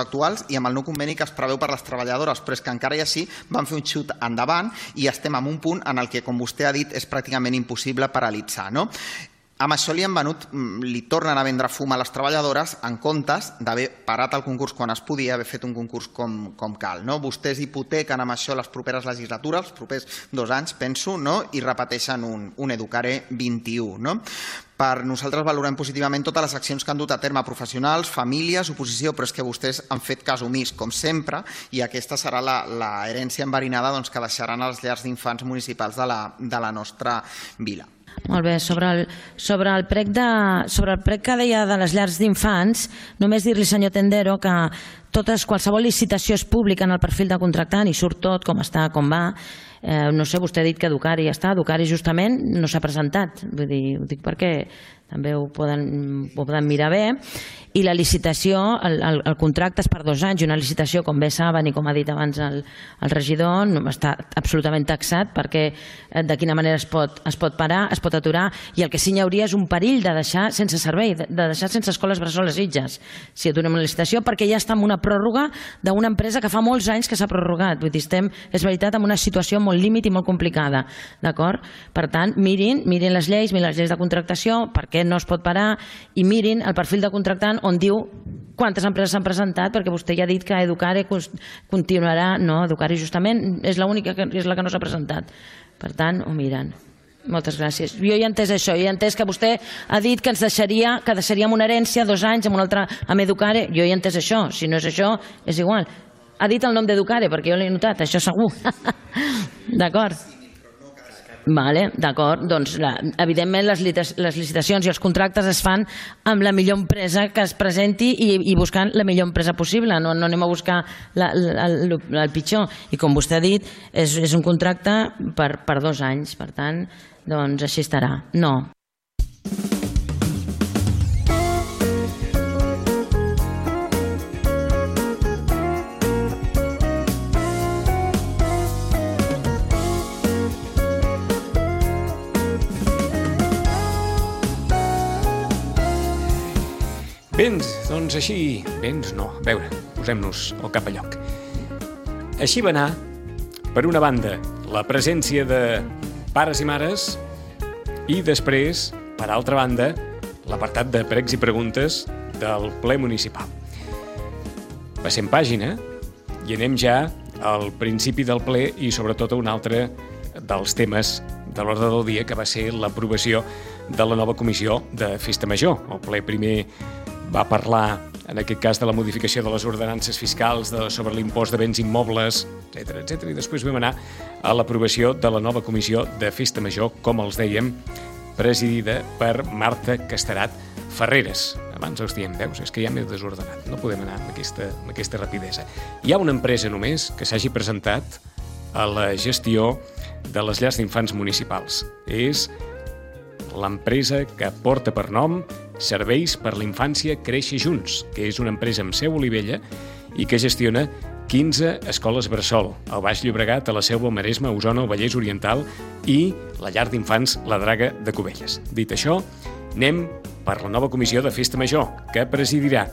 actuals i amb el nou conveni que es preveu per les treballadores, però és que encara i així van fer un xut endavant i estem en un punt en el que, com vostè ha dit, és pràcticament impossible paralitzar, no? Amb això li tornen a vendre fum a les treballadores en comptes d'haver parat el concurs quan es podia, haver fet un concurs com cal. Vostès hipotequen amb això les properes legislatures, els propers 2 anys, penso, i repeteixen un Educare 21. Per nosaltres valorem positivament totes les accions que han dut a terme professionals, famílies, oposició, però és que vostès han fet cas omís, com sempre, i aquesta serà la herència enverinada que deixaran a les llars d'infants municipals de la nostra vila. Molt bé, sobre el prec que deia de les llars d'infants, només dir-li, senyor Tendero, que qualsevol licitació és pública en el perfil de contractant i surt tot, com està, com va. No sé, vostè ha dit que Educari ja està, Educari justament no s'ha presentat, vull dir, ho dic perquè també ho poden mirar bé, i la licitació, el contracte és per 2 anys, i una licitació, com bé saben i com ha dit abans el regidor, està absolutament taxat, perquè de quina manera es pot parar, es pot aturar, i el que sí hi hauria és un perill de deixar sense servei, de deixar sense escoles bressoles Sitges, si aturem la licitació, perquè ja està en una pròrroga d'una empresa que fa molts anys que s'ha prorrogat, vull dir, estem, és veritat, en una situació molt límit i molt complicada, d'acord? Per tant, mirin les lleis de contractació, per què no es pot parar, i mirin el perfil de contractant on diu quantes empreses s'han presentat, perquè vostè ja ha dit que Educare continuarà, no, Educare justament és l'única que és la que no s'ha presentat. Per tant, ho miren. Moltes gràcies. Jo ja he entès això, he entès que vostè ha dit que ens deixaríem una herència 2 anys amb una altra, amb Educare, jo ja he entès això, si no és això, és igual. Ha dit el nom d'Educare, perquè jo l'he notat, això segur. D'acord? Vale, d'acord, doncs evidentment les licitacions i els contractes es fan amb la millor empresa que es presenti i buscant la millor empresa possible, no anem a buscar el pitjor, i com vostè ha dit és un contracte per 2 anys, per tant, doncs així estarà. No. Béns, doncs així... Béns no, a veure, posem-nos al cap a lloc. Així va anar, per una banda, la presència de pares i mares i després, per altra banda, l'apartat de pregs i preguntes del ple municipal. Passem pàgina i anem ja al principi del ple i sobretot a un altre dels temes de l'ordre del dia, que va ser l'aprovació de la nova comissió de Festa Major. El ple primer va parlar, en aquest cas, de la modificació de les ordenances fiscals sobre l'impost de béns immobles, etc. I després vam anar a l'aprovació de la nova comissió de Festa Major, com els dèiem, presidida per Marta Casterat Ferreres. Abans els diem, veus, és que ja m'he desordenat, no podem anar amb aquesta rapidesa. Hi ha una empresa només que s'hagi presentat a la gestió de les llars d'infants municipals. És l'empresa que porta per nom Serveis per la Infància Créixer Junts, que és una empresa amb seu a Olivella i que gestiona 15 escoles bressol al Baix Llobregat, a la Selva, al Maresme, a Osona, al Vallès Oriental i la llar d'infants La Draga de Cubelles. Dit això, anem per la nova comissió de Festa Major, que presidirà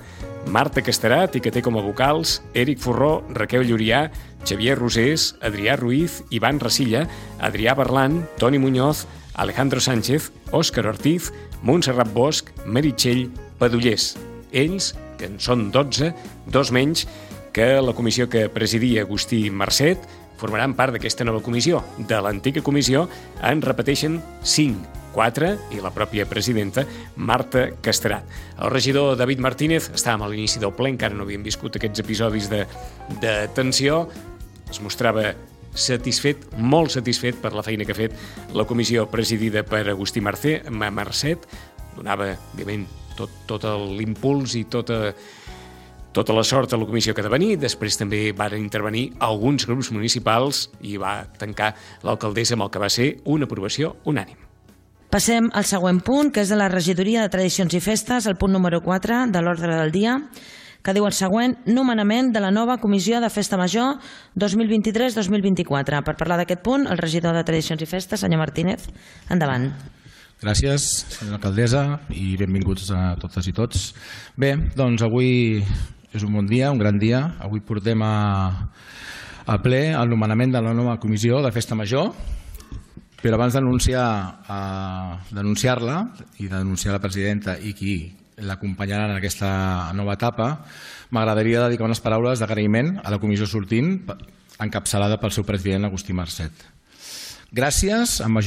Marta Casterat, i que té com a vocals Eric Forró, Raquel Llurià, Xavier Rosés, Adrià Ruiz, Ivan Rasilla, Adrià Berlan, Toni Muñoz, Alejandro Sánchez, Òscar Ortiz, Montserrat Bosch, Meritxell Padullés. Ells, que en són 12, 2 menys que la comissió que presidia Agustí Marcet, formaran part d'aquesta nova comissió. De l'antiga comissió en repeteixen 5, 4 i la pròpia presidenta Marta Casterat. El regidor David Martínez, estàvem a l'inici del ple, encara no havíem viscut aquests episodis de tensió, es mostrava satisfet, molt satisfet per la feina que ha fet la comissió presidida per Agustí Marcet. Donava, òbviament, tot l'impuls i tota la sort a la comissió que ha de venir. Després també van intervenir alguns grups municipals i va tancar l'alcaldessa amb el que va ser una aprovació unànime. Passem al següent punt, que és de la regidoria de Tradicions i Festes, el punt número 4 de l'ordre del dia, que diu el següent: nomenament de la nova Comissió de Festa Major 2023-2024. Per parlar d'aquest punt, el regidor de Tradicions i Festes, senyor Martínez, endavant. Gràcies, senyora alcaldessa, i benvinguts a totes i tots. Bé, doncs avui és un bon dia, un gran dia. Avui portem a ple el nomenament de la nova Comissió de Festa Major, però abans denunciar-la i denunciar la presidenta i qui l'acompanyarà en aquesta nova etapa, m'agradaria dedicar unes paraules d'agraïment a la comissió sortint, encapçalada pel seu president Agustí Marcet. Gràcies, amb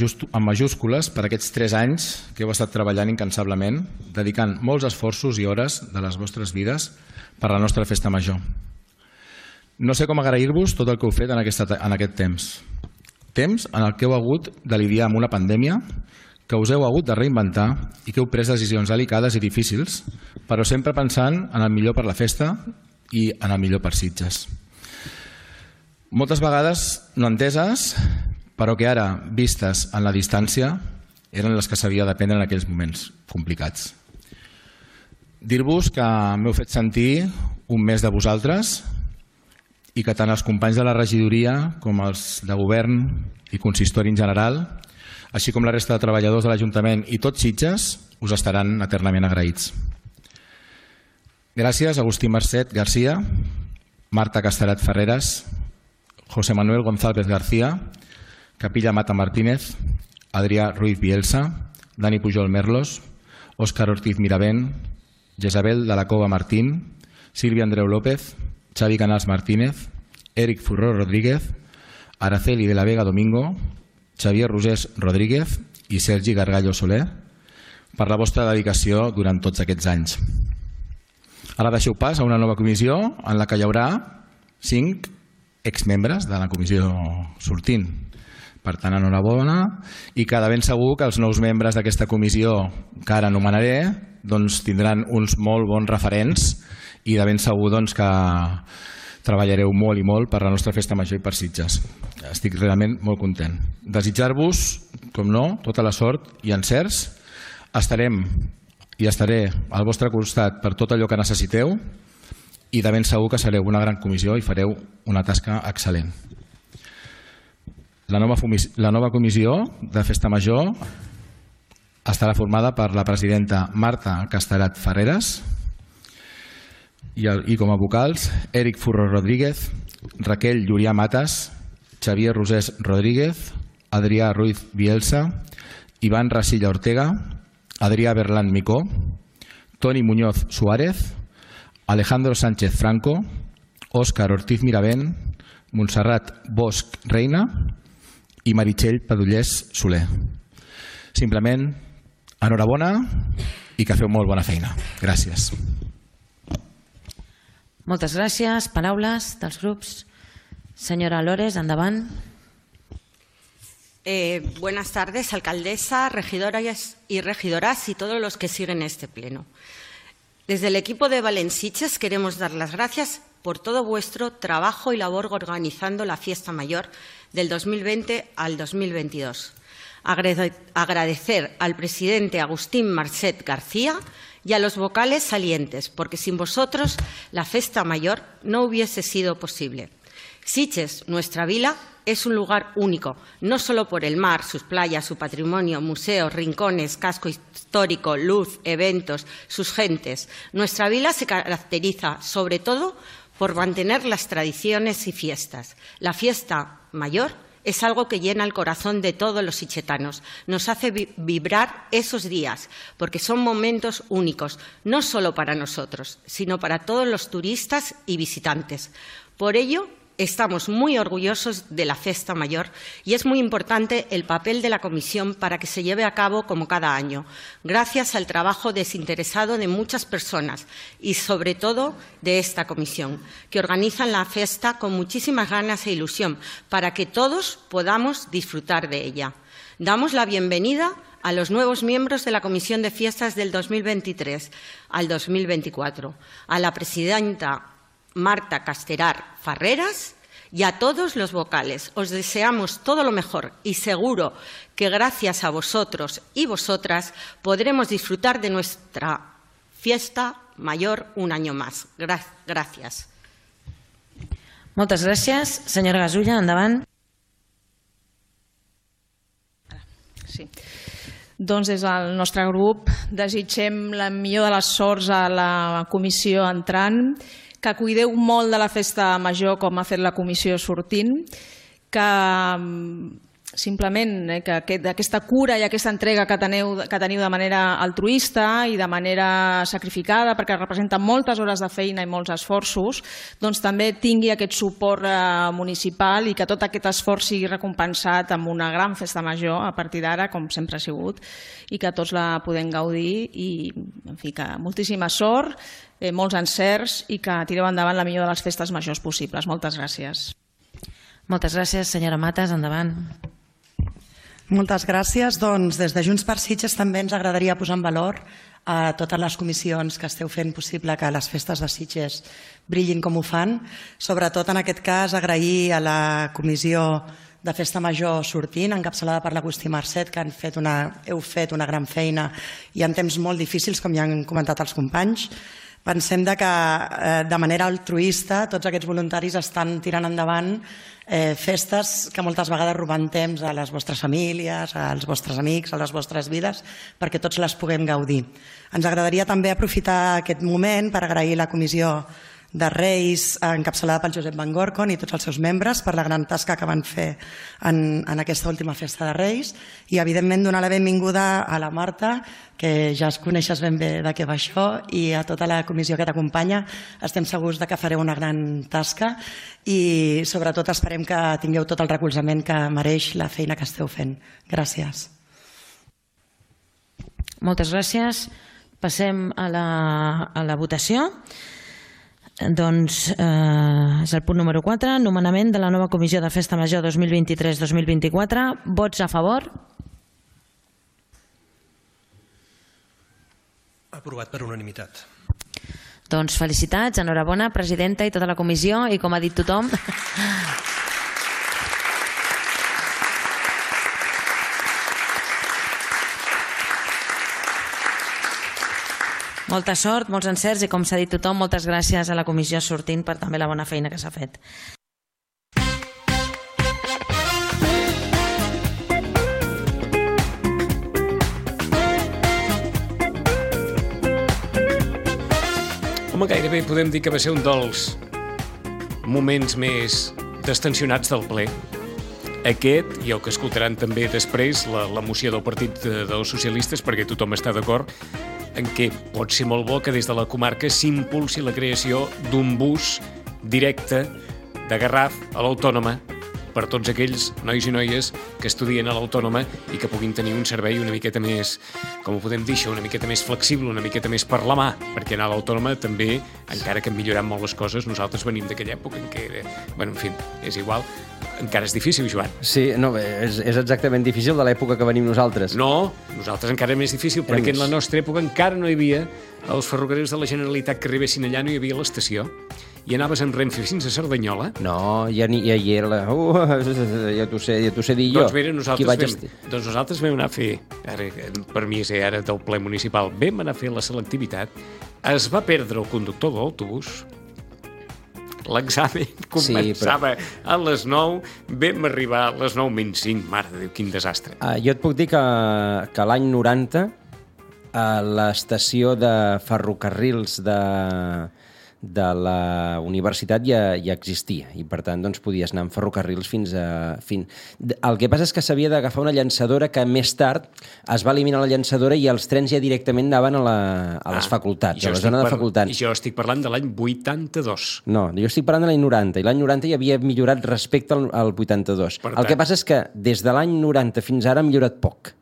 majúscules, per aquests 3 anys que heu estat treballant incansablement, dedicant molts esforços i hores de les vostres vides per la nostra festa major. No sé com agrair-vos tot el que heu fet en aquest temps. Temps en el que heu hagut de lidiar amb una pandèmia, que us heu hagut de reinventar i que heu pres decisions delicades i difícils, però sempre pensant en el millor per la festa i en el millor per Sitges. Moltes vegades no enteses, però que ara, vistes en la distància, eren les que s'havia de prendre en aquells moments complicats. Dir-vos que m'heu fet sentir un més de vosaltres i que tant els companys de la regidoria com els de govern i consistori en general, així com la resta de treballadors de l'Ajuntament i tots Sitges, us estaran eternament agraïts. Gràcies a Agustí Marcet García, Marta Casterat Ferreras, José Manuel González García, Capilla Mata Martínez, Adrià Ruiz Bielsa, Dani Pujol Merlos, Òscar Ortiz Miravent, Jezabel de la Cova Martín, Sílvia Andreu López, Xavi Canals Martínez, Eric Forró Rodríguez, Araceli de la Vega Domingo, Xavier Rosés Rodríguez i Sergi Gargallo Soler, per la vostra dedicació durant tots aquests anys. Ara deixeu pas a una nova comissió en la que hi haurà 5 exmembres de la comissió sortint. Per tant, enhorabona, i que de ben segur que els nous membres d'aquesta comissió que ara anomenaré tindran uns molt bons referents i de ben segur que treballareu molt i molt per la nostra festa major i per Sitges. Estic realment molt content. Desitjar-vos, com no, tota la sort i encerts. Estarem i estaré al vostre costat per tot allò que necessiteu i de ben segur que sereu una gran comissió i fareu una tasca excel·lent. La nova comissió de Festa Major estarà formada per la presidenta Marta Casterat Ferreras i com a vocals Eric Forró Rodríguez, Raquel Llurià Matas, Xavier Rosés Rodríguez, Adrià Ruiz Bielsa, Ivan Rasilla Ortega, Adrià Berlan Micó, Toni Muñoz Suárez, Alejandro Sánchez Franco, Òscar Ortiz Miravent, Montserrat Bosch Reina i Meritxell Padullés Soler. Simplement, enhorabona i que feu molt bona feina. Gràcies. Moltes gràcies. Paraules dels grups. Señora Lores, endavant. Buenas tardes, alcaldesa, regidoras y regidoras y todos los que siguen este pleno. Desde el equipo de Valenciches queremos dar las gracias por todo vuestro trabajo y labor organizando la fiesta mayor del 2020 al 2022. Agradecer al presidente Agustín Marcet García y a los vocales salientes, porque sin vosotros la festa mayor no hubiese sido posible. Sitges, nuestra vila, es un lugar único, no solo por el mar, sus playas, su patrimonio, museos, rincones, casco histórico, luz, eventos, sus gentes. Nuestra vila se caracteriza, sobre todo, por mantener las tradiciones y fiestas. La fiesta mayor es algo que llena el corazón de todos los sitxetanos. Nos hace vibrar esos días, porque son momentos únicos, no solo para nosotros, sino para todos los turistas y visitantes. Por ello, estamos muy orgullosos de la Festa Mayor y es muy importante el papel de la Comisión para que se lleve a cabo como cada año, gracias al trabajo desinteresado de muchas personas y, sobre todo, de esta Comisión, que organizan la fiesta con muchísimas ganas e ilusión para que todos podamos disfrutar de ella. Damos la bienvenida a los nuevos miembros de la Comisión de Fiestas del 2023 al 2024, a la presidenta Marta Casterar Farreras y a todos los vocales. Os deseamos todo lo mejor y seguro que gracias a vosotros y vosotras podremos disfrutar de nuestra fiesta mayor un año más. Gràcies. Moltes gràcies. Senyora Gasulla, endavant. Sí. Doncs des del nostre grup desitgem la millor de les sorts a la comissió entrant, que cuideu molt de la festa major com ha fet la comissió sortint, que simplement que aquesta cura i aquesta entrega que teniu de manera altruista i de manera sacrificada, perquè representa moltes hores de feina i molts esforços, doncs també tingui aquest suport municipal i que tot aquest esforç sigui recompensat amb una gran festa major a partir d'ara, com sempre ha sigut, i que tots la podem gaudir i, en fi, que moltíssima sort, molts encerts i que tireu endavant la millor de les festes majors possibles. Moltes gràcies. Moltes gràcies, senyora Matas, endavant. Moltes gràcies. Doncs des de Junts per Sitges també ens agradaria posar en valor a totes les comissions que esteu fent possible que les festes de Sitges brillin com ho fan. Sobretot en aquest cas agrair a la comissió de Festa Major sortint, encapçalada per l'Agustí Marcet, que heu fet una gran feina i en temps molt difícils, com ja han comentat els companys. Pensem que de manera altruista tots aquests voluntaris estan tirant endavant festes que moltes vegades roben temps a les vostres famílies, als vostres amics, a les vostres vides, perquè tots les puguem gaudir. Ens agradaria també aprofitar aquest moment per agrair la comissió de Reis, encapçalada pel Josep Van Gorcon i tots els seus membres per la gran tasca que van fer en aquesta última festa de Reis i evidentment donar la benvinguda a la Marta, que ja es coneixes ben bé de què va això, i a tota la comissió que t'acompanya. Estem segurs que fareu una gran tasca i sobretot esperem que tingueu tot el recolzament que mereix la feina que esteu fent. Gràcies. Moltes gràcies. Passem a la votació. Doncs és el punt número 4, nomenament de la nova Comissió de Festa Major 2023-2024. Vots a favor? Aprovat per unanimitat. Doncs felicitats, enhorabona, presidenta i tota la comissió, i com ha dit tothom... Molta sort, molts encerts i, com s'ha dit tothom, moltes gràcies a la comissió sortint per també la bona feina que s'ha fet. Home, gairebé podem dir que va ser un dels moments més destensionats del ple. Aquest i el que escoltaran també després, la moció del Partit dels Socialistes, perquè tothom està d'acord en què pot ser molt bo que des de la comarca s'impulsi la creació d'un bus directe de Garraf a l'Autònoma per tots aquells nois i noies que estudien a l'Autònoma i que puguin tenir un servei una miqueta més, com ho podem dir això, una miqueta més flexible, una miqueta més per la mà, perquè anar a l'Autònoma també, encara que han millorat molt les coses, nosaltres venim d'aquella època en què, bueno, en fi, és igual, encara és difícil, Joan. Sí, no, és exactament difícil de l'època que venim nosaltres. No, nosaltres encara és més difícil, perquè en la nostra època encara no hi havia els ferrocarrils de la Generalitat que arribessin allà, no hi havia l'estació. I anaves amb Renfe fins a Cerdanyola. No, ja hi era la... ja t'ho sé dir jo. Doncs mira, nosaltres vam anar a fer, ara, per mi és ara del ple municipal, vam anar a fer la selectivitat, es va perdre el conductor de l'autobús, l'examen començava a les 9, vam arribar a les 9 menys 5, mare de Déu, quin desastre. Jo et puc dir que l'any 90 l'estació de ferrocarrils de la universitat ja existia i per tant doncs, podies anar amb ferrocarrils fins a... El que passa és que s'havia d'agafar una llançadora que més tard es va eliminar la llançadora i els trens ja directament anaven a les facultats, a la zona de facultats. I jo estic parlant de l'any 82. No, jo estic parlant de l'any 90 i l'any 90 ja havia millorat respecte al 82. El que passa és que des de l'any 90 fins ara ha millorat poc.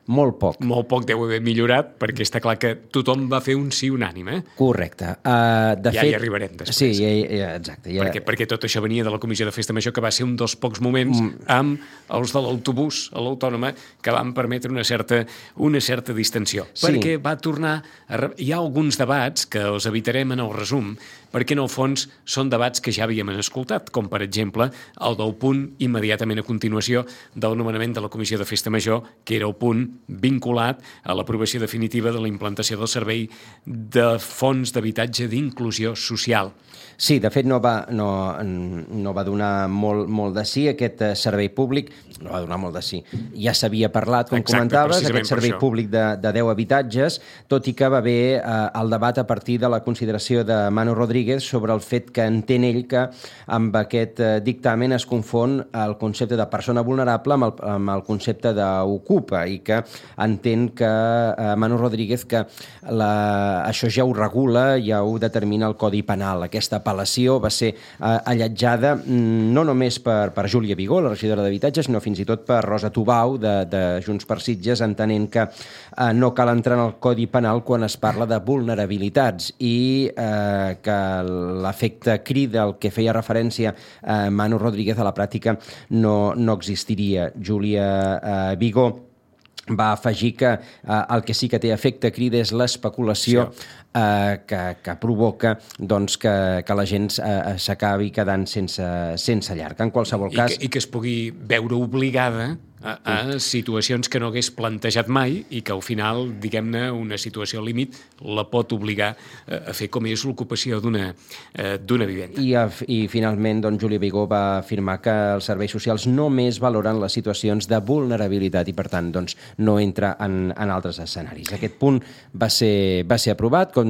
Molt poc. Molt poc deu haver millorat, perquè està clar que tothom va fer un sí unànime. Correcte. Ja hi arribarem després. Sí, exacte. Perquè tot això venia de la Comissió de Festa Major, que va ser un dels pocs moments amb els de l'autobús a l'Autònoma que van permetre una certa distensió. Sí. Perquè va tornar... Hi ha alguns debats que els evitarem en el resum, perquè en el fons són debats que ja havíem escoltat, com per exemple el del punt immediatament a continuació del nomenament de la Comissió de Festa Major, que era el punt vinculat a l'aprovació definitiva de la implantació del servei de fons d'habitatge d'inclusió social. Sí, de fet no va donar molt de sí aquest servei públic, no va donar molt de sí. Ja s'havia parlat, com comentaves, aquest servei públic de 10 habitatges, tot i que va haver el debat a partir de la consideració de Manu Rodríguez sobre el fet que entén ell que amb aquest dictamen es confon el concepte de persona vulnerable amb el concepte d'ocupa i que entén que Manu Rodríguez que això ja ho regula, ja ho determina el Codi Penal. Aquesta apel·lació va ser alletjada no només per Júlia Vigó, la regidora d'Habitatge, sinó fins i tot per Rosa Tubau, de Junts per Sitges, entenent que no cal entrar en el Codi Penal quan es parla de vulnerabilitats i que l'efecte crida al que feia referència Manu Rodríguez a la pràctica no existiria. Júlia Vigó va afegir que el que sí que té efecte crida és l'especulació que provoca doncs, que la gent s'acabi quedant sense llar. En qualsevol cas... I que es pugui veure obligada a situacions que no hagués plantejat mai i que al final, diguem-ne, una situació límit la pot obligar a fer com és l'ocupació d'una vivenda. I finalment, doncs, Júlia Vigó va afirmar que els serveis socials només valoren les situacions de vulnerabilitat i, per tant, doncs, no entra en altres escenaris. Aquest punt va ser aprovat, com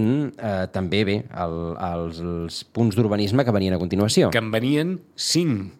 també bé els punts d'urbanisme que venien a continuació. Que en venien 5.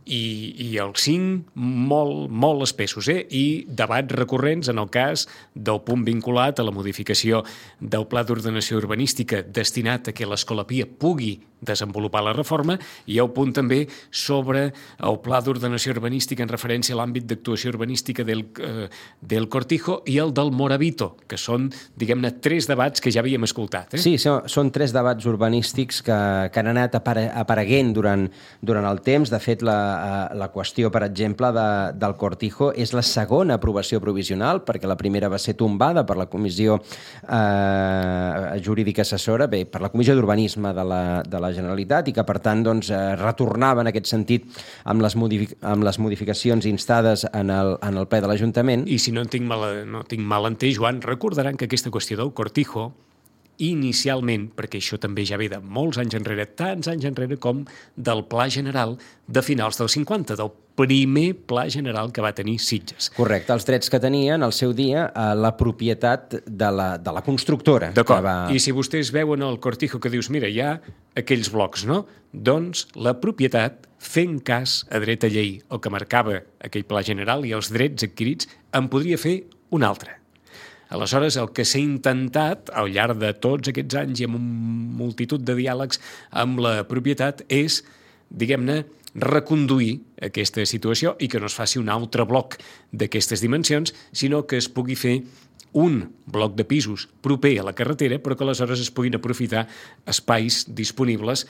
I els 5 molt espessos, i debats recurrents en el cas del punt vinculat a la modificació del Pla d'Ordenació Urbanística destinat a que l'Escola Pia pugui desenvolupar la reforma, i el punt també sobre el Pla d'Ordenació Urbanística en referència a l'àmbit d'actuació urbanística del Cortijo i el del Moravito, que són, diguem-ne, 3 debats que ja havíem escoltat. Sí, són 3 debats urbanístics que han anat apareguent durant el temps. De fet, la qüestió, per exemple, del Cortijo és la segona aprovació provisional, perquè la primera va ser tombada per la Comissió Jurídica Assessora, per la Comissió d'Urbanisme de la Generalitat, i que, per tant, doncs, retornava en aquest sentit amb les modificacions instades en el ple de l'Ajuntament. I si no tinc mal entès, Joan, recordaran que aquesta qüestió del Cortijo inicialment, perquè això també ja ve de molts anys enrere, tants anys enrere com del Pla General de finals dels 50, del primer Pla General que va tenir Sitges. Correcte, els drets que tenien al seu dia la propietat de la constructora. D'acord, i si vostès veuen el Cortijo que dius, mira, hi ha aquells blocs, no? Doncs la propietat, fent cas a dret a llei, el que marcava aquell Pla General i els drets adquirits, en podria fer un altre. Aleshores, el que s'ha intentat al llarg de tots aquests anys i amb una multitud de diàlegs amb la propietat és, diguem-ne, reconduir aquesta situació i que no es faci un altre bloc d'aquestes dimensions, sinó que es pugui fer un bloc de pisos proper a la carretera, però que aleshores es puguin aprofitar espais disponibles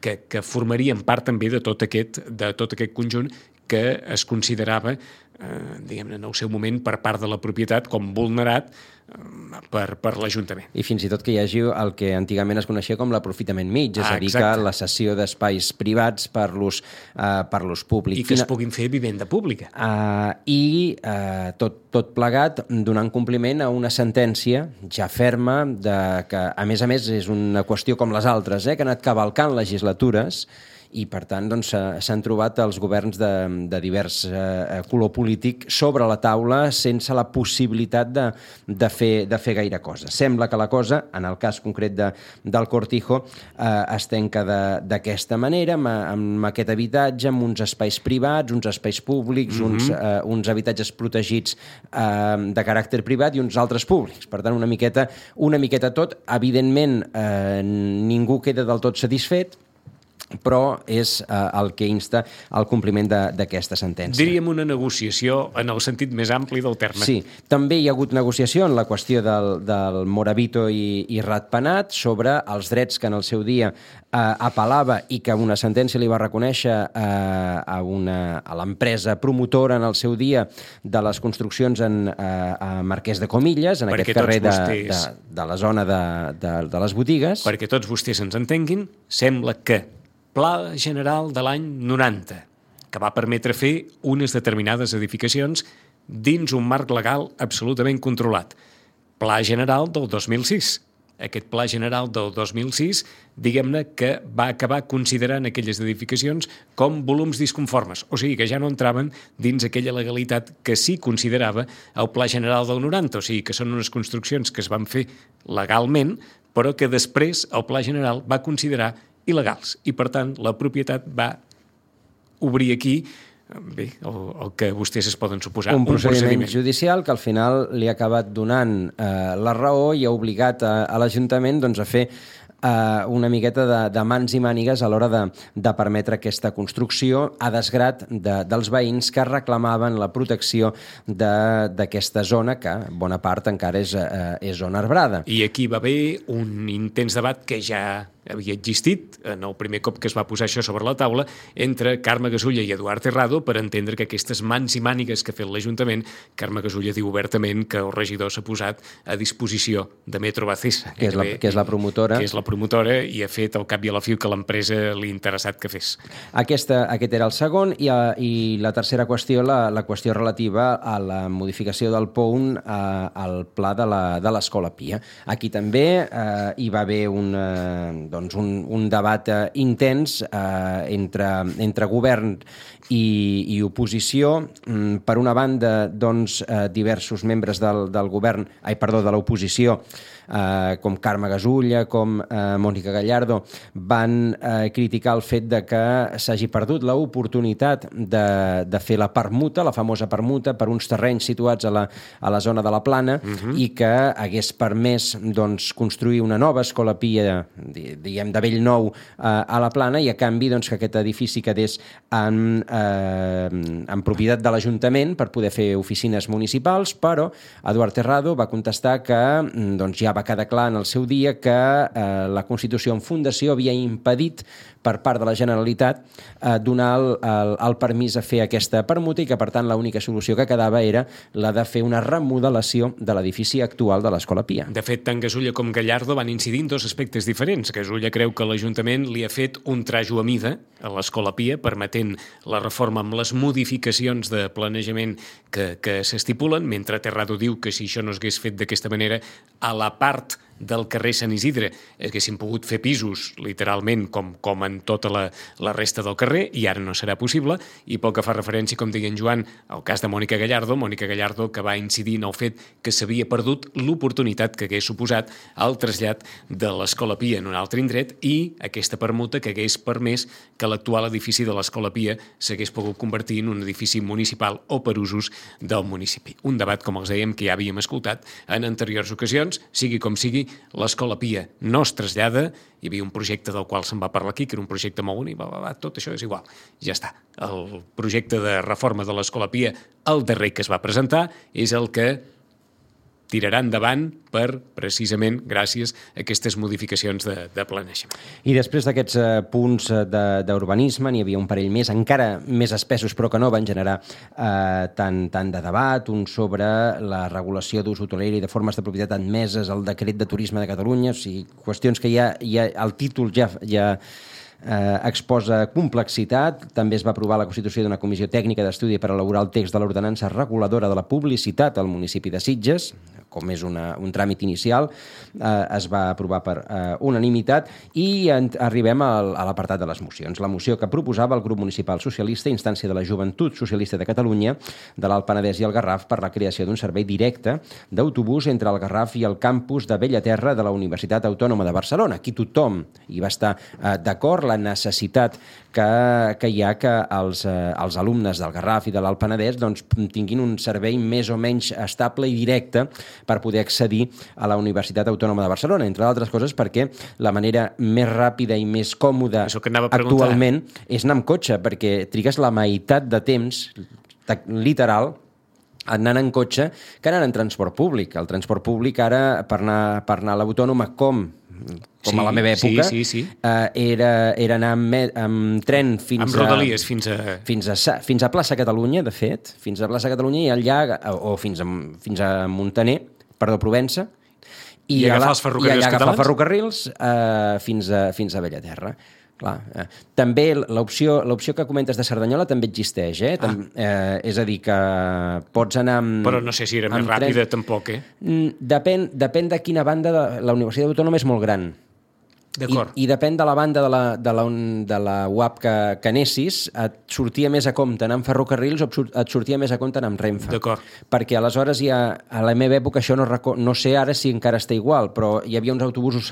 que formarien part també de tot aquest conjunt que es considerava diguem-ne, en el seu moment per part de la propietat com vulnerat per l'Ajuntament. I fins i tot que hi hagi el que antigament es coneixia com l'aprofitament mig, és a dir, que la cessió d'espais privats per l'ús públic. I que es puguin fer vivenda pública. Tot plegat donant compliment a una sentència ja ferma que, a més, és una qüestió com les altres, que ha anat cavalcant legislatures i, per tant, s'han trobat els governs de divers color polític sobre la taula sense la possibilitat de fer gaire cosa. Sembla que la cosa, en el cas concret del Cortijo, es tenca d'aquesta manera, amb aquest habitatge, amb uns espais privats, uns espais públics, uns habitatges protegits de caràcter privat i uns altres públics. Per tant, una miqueta tot. Evidentment, ningú queda del tot satisfet, però és el que insta al compliment d'aquesta sentència. Diríem una negociació en el sentit més ampli del terme. Sí, també hi ha hagut negociació en la qüestió del Moravito i Ratpenat sobre els drets que en el seu dia apel·lava i que una sentència li va reconèixer a l'empresa promotora en el seu dia de les construccions a Marquès de Comillas, en aquest carrer de la zona de les botigues. Perquè tots vostès ens entenguin, sembla que Pla General de l'any 90, que va permetre fer unes determinades edificacions dins un marc legal absolutament controlat. Pla General del 2006. Aquest Pla General del 2006, diguem-ne que va acabar considerant aquelles edificacions com volums disconformes, o sigui que ja no entraven dins aquella legalitat que sí considerava el Pla General del 90, o sigui que són unes construccions que es van fer legalment, però que després el Pla General va considerar il·legals i, per tant, la propietat va obrir aquí el que vostès es poden suposar. Un procediment judicial que al final li ha acabat donant la raó i ha obligat a l'Ajuntament a fer una miqueta de mans i mànigues a l'hora de permetre aquesta construcció a desgrat dels veïns que reclamaven la protecció d'aquesta zona que bona part encara és zona arbrada. I aquí va haver un intens debat que ja havia existit en el primer cop que es va posar això sobre la taula entre Carme Gasulla i Eduard Terrado per entendre que aquestes mans i mànigues que ha fet l'Ajuntament, Carme Gasulla diu obertament que el regidor s'ha posat a disposició de Metro Bacesa, que és la promotora. Que és la promotora i ha fet al cap i a la fi que l'empresa li ha interessat que fes. Aquest era el segon i la tercera qüestió, la qüestió relativa a la modificació del POUN al pla de l'Escola Pia. Aquí també hi va haver un debat intens entre govern i oposició. Per una banda, diversos membres de l'oposició, com Carme Gasulla, com Mònica Gallardo, van criticar el fet de que s'hagi perdut l'oportunitat de fer la permuta, la famosa permuta, per uns terrenys situats a la zona de la Plana i que hagués permès construir una nova escola Pia, diguem, de bell nou a la Plana i a canvi que aquest edifici quedés en propietat de l'Ajuntament per poder fer oficines municipals, però Eduard Terrado va contestar que ja va quedar clar en el seu dia que la Constitució en fundació havia impedit per part de la Generalitat donar el permís a fer aquesta permuta i que, per tant, l'única solució que quedava era la de fer una remodelació de l'edifici actual de l'Escola Pia. De fet, tant Gasulla com Gallardo van incidir en dos aspectes diferents. Gasulla creu que l'Ajuntament li ha fet un trajo a mida a l'Escola Pia, permetent la reforma amb les modificacions de planejament que s'estipulen, mentre Terrado diu que si això no s'hagués fet d'aquesta manera, a la part del carrer Sant Isidre haguessin pogut fer pisos, literalment, com en tota la resta del carrer, i ara no serà possible. I pel que fa referència, com deia en Joan, al cas de Mònica Gallardo, que va incidir en el fet que s'havia perdut l'oportunitat que hagués suposat el trasllat de l'Escola Pia en un altre indret i aquesta permuta que hagués permès que l'actual edifici de l'Escola Pia s'hagués pogut convertir en un edifici municipal o per usos del municipi. Un debat, com els dèiem, que ja havíem escoltat en anteriors ocasions. Sigui com sigui, l'Escola Pia no es trasllada. Hi havia un projecte del qual se'n va parlar aquí, que era un projecte molt bonic, tot això és igual, ja està. El projecte de reforma de l'Escola Pia, el darrer que es va presentar, és el que tirarà endavant precisament gràcies a aquestes modificacions de planejament. I després d'aquests punts d'urbanisme n'hi havia un parell més, encara més espessos, però que no van generar tant de debat, un sobre la regulació d'ús hotelera i de formes de propietat admeses al decret de turisme de Catalunya, o sigui, qüestions que ja el títol ja exposa complexitat. També es va aprovar la constitució d'una comissió tècnica d'estudi per elaborar el text de l'ordenança reguladora de la publicitat al municipi de Sitges, com és un tràmit inicial, es va aprovar per unanimitat i arribem a l'apartat de les mocions. La moció que proposava el grup municipal socialista a instància de la Joventut Socialista de Catalunya, de l'Alt Penedès i el Garraf per la creació d'un servei directe d'autobús entre el Garraf i el campus de Bellaterra de la Universitat Autònoma de Barcelona. Aquí tothom hi va estar d'acord, la necessitat que hi ha que els alumnes del Garraf i de l'Alt Penedès tinguin un servei més o menys estable i directe per poder accedir a la Universitat Autònoma de Barcelona, entre d'altres coses perquè la manera més ràpida i més còmoda actualment és anar amb cotxe, perquè trigues la meitat de temps literal anant en cotxe que anant en transport públic. El transport públic ara, per anar a l'Autònoma, com a la meva època, era anar amb tren fins a Plaça Catalunya, de fet, fins a Plaça Catalunya i allà, o fins a Montaner, Provença, i agafar els ferrocarrils fins a Bellaterra. També l'opció que comentes de Cerdanyola també existeix, és a dir, que pots anar amb... Però no sé si era més ràpida, tampoc, Depèn de quina banda. La Universitat Autònoma és molt gran. D'acord. I depèn de la banda de la UAP que anessis, et sortia més a compte anar amb ferrocarrils o et sortia més a compte anar amb Renfe. D'acord. Perquè aleshores a la meva època, això no sé ara si encara està igual, però hi havia uns autobusos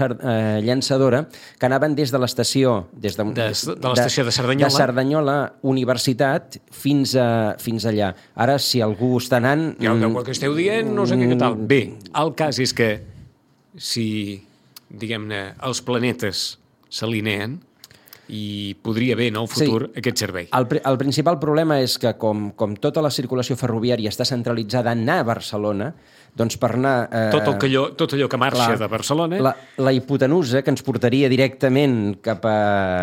llançadora que anaven des de l'estació de l'estació de Cerdanyola, de Cerdanyola Universitat fins allà. Ara, si algú està anant... Ja, el que esteu dient, no sé què tal. Bé, el cas és que si... diguem-ne, els planetes s'alineen i podria haver en el futur aquest servei. El principal problema és que com tota la circulació ferroviària està centralitzada a anar a Barcelona, doncs per anar... Tot allò que marxa de Barcelona... La hipotenusa que ens portaria directament cap a...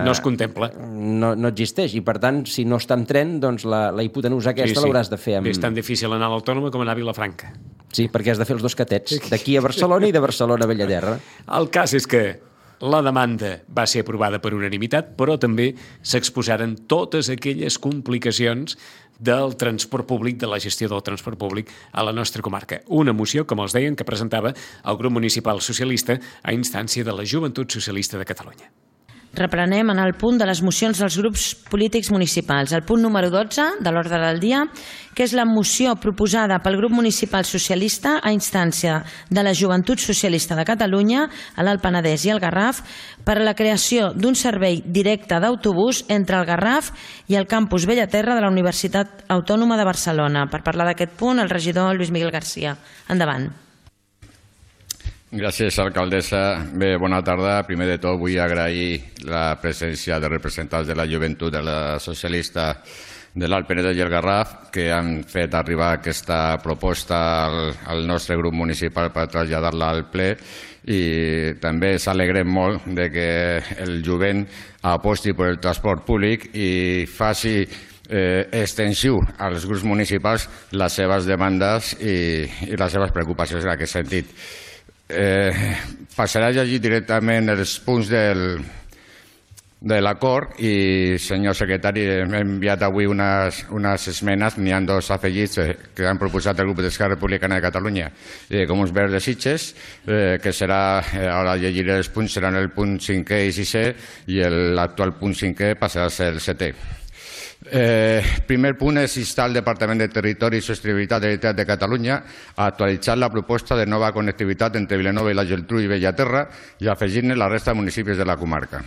No es contempla. No existeix, i per tant, si no està en tren, doncs la hipotenusa aquesta l'hauràs de fer amb... És tan difícil anar a l'Autònoma com anar a Vilafranca. Sí, perquè has de fer els dos catets, d'aquí a Barcelona i de Barcelona a Bellaterra. El cas és que la demanda va ser aprovada per unanimitat, però també s'exposaren totes aquelles complicacions del transport públic, de la gestió del transport públic a la nostra comarca. Una moció, com els deien, que presentava el grup municipal socialista a instància de la Joventut Socialista de Catalunya. Reprenem en el punt de les mocions dels grups polítics municipals. El punt número 12 de l'ordre del dia, que és la moció proposada pel grup municipal socialista a instància de la Joventut Socialista de Catalunya, a l'Alt Penedès i el Garraf, per a la creació d'un servei directe d'autobús entre el Garraf i el campus Bellaterra de la Universitat Autònoma de Barcelona. Per parlar d'aquest punt, el regidor Lluís Miguel Garcia. Endavant. Gràcies, alcaldessa. Bé, bona tarda. Primer de tot vull agrair la presència de representants de la joventut de la socialista de l'Alt Penedès i el Garraf que han fet arribar aquesta proposta al nostre grup municipal per traslladar-la al ple, i també s'alegrem molt de que el jovent aposti per el transport públic i faci extensiu als grups municipals les seves demandes i les seves preocupacions en aquest sentit. Passaré a llegir directament els punts de l'acord i, senyor secretari, hem enviat avui unes esmenes, n'hi ha dos afegits que han proposat el grup d'Esquerra Republicana de Catalunya com uns verds de Sitges, que serà, ara llegiré els punts, seran el punt 5è i 6è i l'actual punt 5è passarà a ser el 7è. Primer punt és instar el Departament de Territori i Sostenibilitat de la Generalitat de Catalunya a actualitzar la proposta de nova connectivitat entre Vilanova i la Geltrú i Bellaterra i afegir-ne la resta de municipis de la comarca.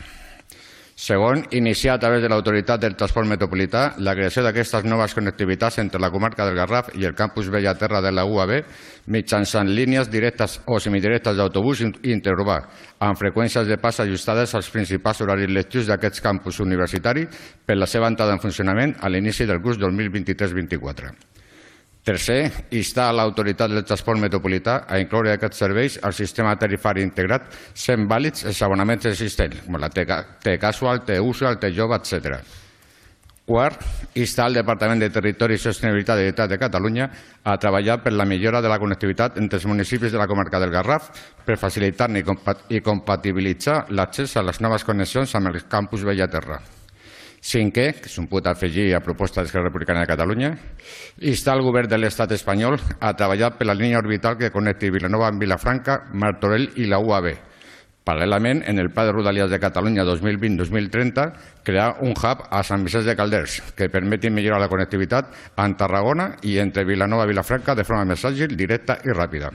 Segon, iniciar a través de l'Autoritat del Transport Metropolità la creació d'aquestes noves connectivitats entre la comarca del Garraf i el campus Bellaterra de la UAB mitjançant línies directes o semidirectes d'autobús interurbà, amb freqüències de pas ajustades als principals horaris lectius d'aquests campus universitaris per la seva entrada en funcionament a l'inici del curs 2023-24. Tercer, instar l'autoritat del transport metropolità a incloure aquests serveis al sistema tarifari integrat sent vàlids els abonaments existents, com la T-Casual, T-Usual, T-Jove, etc. Quart, instar el Departament de Territori i Sostenibilitat de la Generalitat de Catalunya a treballar per la millora de la connectivitat entre els municipis de la comarca del Garraf per facilitar-ne i compatibilitzar l'accés a les noves connexions amb el campus Bellaterra. Cinquè, que és un punt a afegir a proposta d'Esquerra Republicana de Catalunya, instar el govern de l'Estat espanyol a treballar per la línia orbital que connecti Vilanova amb Vilafranca, Martorell i la UAB. Paral·lelament, en el Pla de Rodalies de Catalunya 2020-2030, crear un hub a Sant Vicenç de Calders que permeti millorar la connectivitat en Tarragona i entre Vilanova i Vilafranca de forma més àgil, directa i ràpida.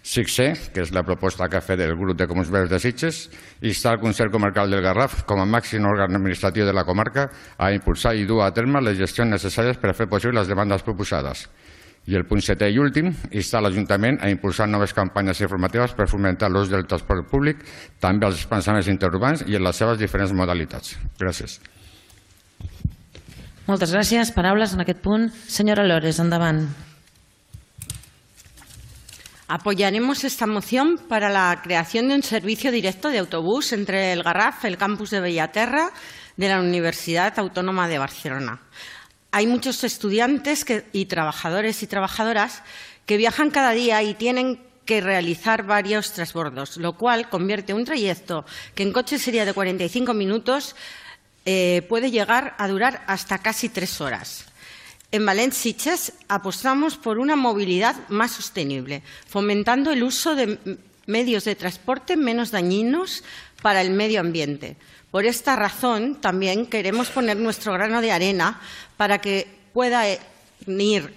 Sixè, que és la proposta que ha fet el grup de Comuns Verds de Sitges, instar el Consell Comarcal del Garraf com a màxim òrgan administratiu de la comarca a impulsar i dur a terme les gestions necessàries per a fer possible les demandes proposades. I el punt setè i últim, instar l'Ajuntament a impulsar noves campanyes informatives per fomentar l'ús del transport públic, també als desplaçaments interurbans i en les seves diferents modalitats. Gràcies. Moltes gràcies. Paraules en aquest punt. Senyora Lores, endavant. Apoyaremos esta moción para la creación de un servicio directo de autobús entre el Garraf, el campus de Bellaterra de la Universidad Autónoma de Barcelona. Hay muchos estudiantes y trabajadores y trabajadoras que viajan cada día y tienen que realizar varios transbordos, lo cual convierte un trayecto que en coche sería de 45 minutos, puede llegar a durar hasta casi 3 horas. En Valence-Sitges apostamos por una movilidad más sostenible, fomentando el uso de medios de transporte menos dañinos para el medio ambiente. Por esta razón, también queremos poner nuestro grano de arena para que pueda ir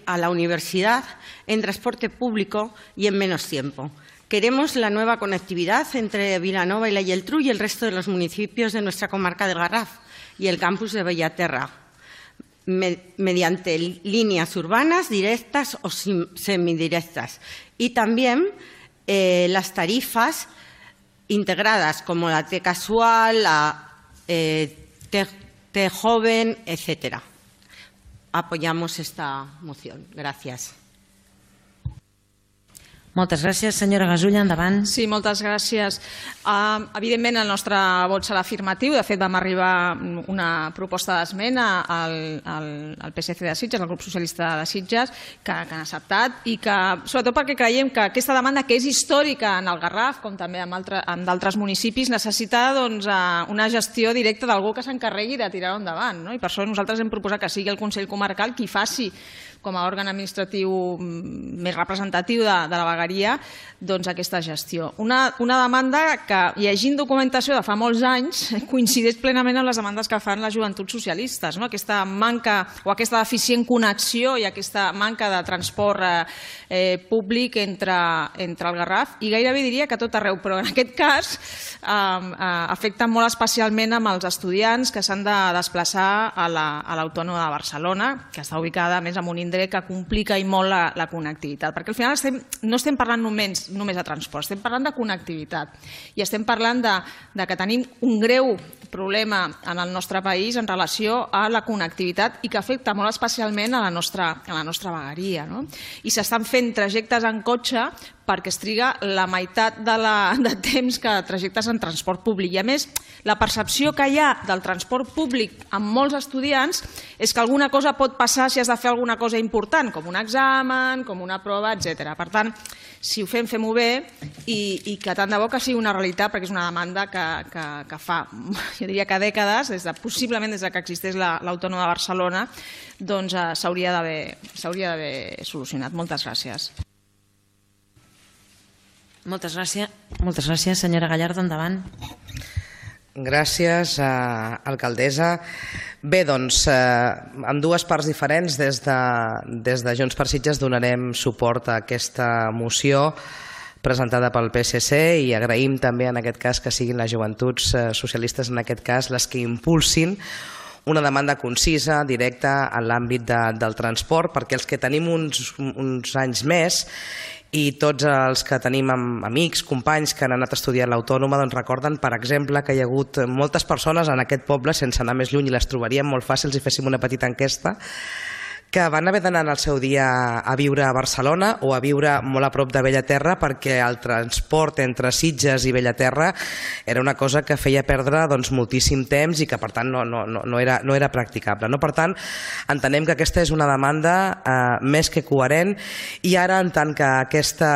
a la universidad en transporte público y en menos tiempo. Queremos la nueva conectividad entre Vilanova y la Geltrú y el resto de los municipios de nuestra comarca del Garraf y el campus de Bellaterra, mediante líneas urbanas directas o semidirectas. Y también las tarifas integradas como la T-Casual, la T-Joven, etc. Apoyamos esta moción. Gracias. Moltes gràcies. Senyora Gasulla, endavant. Sí, moltes gràcies. Evidentment, el nostre vot serà afirmatiu. De fet, vam arribar una proposta d'esmena al PSC de Sitges, al grup socialista de Sitges, que han acceptat, i que, sobretot perquè creiem que aquesta demanda, que és històrica en el Garraf, com també en d'altres municipis, necessita una gestió directa d'algú que s'encarregui de tirar-ho endavant. I per això nosaltres hem proposat que sigui el Consell Comarcal qui faci, com a òrgan administratiu més representatiu de la vegueria, aquesta gestió. Una demanda que, llegint documentació de fa molts anys, coincideix plenament amb les demandes que fan les joventuts socialistes. Aquesta manca o aquesta deficient connexió i aquesta manca de transport públic entre el Garraf, i gairebé diria que tot arreu, però en aquest cas afecta molt especialment amb els estudiants que s'han de desplaçar a l'Autònoma de Barcelona, que està ubicada més en un indret que complica i molt la connectivitat, perquè al final no estem parlant només de transport, estem parlant de connectivitat i estem parlant de que tenim un greu problema en el nostre país en relació a la connectivitat i que afecta molt especialment a la nostra vegueria. I s'estan fent trajectes en cotxe perquè es triga la meitat de temps que trajectes en transport públic. I a més, la percepció que hi ha del transport públic amb molts estudiants és que alguna cosa pot passar si has de fer alguna cosa important, com un examen, com una prova, etc. Per tant, si ho fem, fem-ho bé i que tant de bo que sigui una realitat, perquè és una demanda que fa, jo diria que dècades, possiblement des que existeix l'Autònoma de Barcelona, s'hauria d'haver solucionat. Moltes gràcies. Moltes gràcies. Senyora Gallardo, endavant. Gràcies, alcaldessa. Bé, doncs, en dues parts diferents, des de Junts per Sitges donarem suport a aquesta moció presentada pel PSC i agraïm també en aquest cas que siguin les joventuts socialistes en aquest cas les que impulsin una demanda concisa, directa en l'àmbit del transport, perquè els que tenim uns anys més i tots els que tenim amics, companys que han anat a estudiar a l'Autònoma recorden, per exemple, que hi ha hagut moltes persones en aquest poble, sense anar més lluny i les trobaríem molt fàcils si féssim una petita enquesta, que van haver d'anar al seu dia a viure a Barcelona o a viure molt a prop de Bellaterra perquè el transport entre Sitges i Bellaterra era una cosa que feia perdre moltíssim temps i que per tant no era practicable. Per tant, entenem que aquesta és una demanda més que coherent i ara en tant que aquesta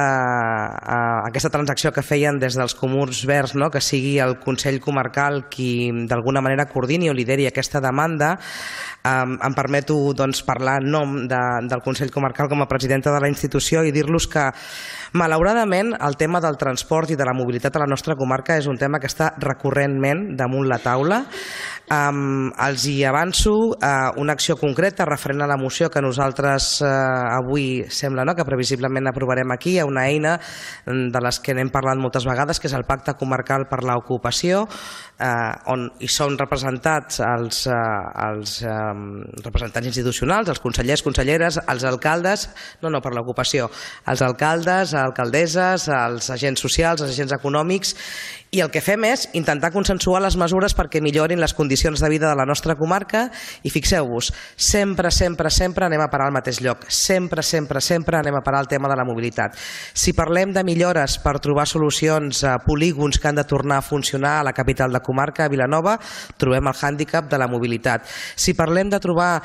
transacció que feien des dels Comuns Verds, que sigui el Consell Comarcal qui d'alguna manera coordini o lideri aquesta demanda, em permeto parlar en nom del Consell Comarcal com a presidenta de la institució i dir-los que malauradament el tema del transport i de la mobilitat a la nostra comarca és un tema que està recurrentment damunt la taula. Els hi avanço una acció concreta referent a la moció que nosaltres avui sembla que previsiblement aprovarem aquí. Hi ha una eina de les que n'hem parlat moltes vegades, que és el Pacte Comarcal per l'Ocupació, on hi són representats els representants institucionals, els consellers, conselleres, els alcaldes, per l'ocupació, els alcaldes, alcaldesses, els agents socials, els agents econòmics, i el que fem és intentar consensuar les mesures perquè millorin les condicions de vida de la nostra comarca i fixeu-vos, sempre anem a parar al mateix lloc, sempre anem a parar al tema de la mobilitat. Si parlem de millores per trobar solucions a polígons que han de tornar a funcionar a la capital de comarca, a Vilanova, trobem el hàndicap de la mobilitat. Si parlem de trobar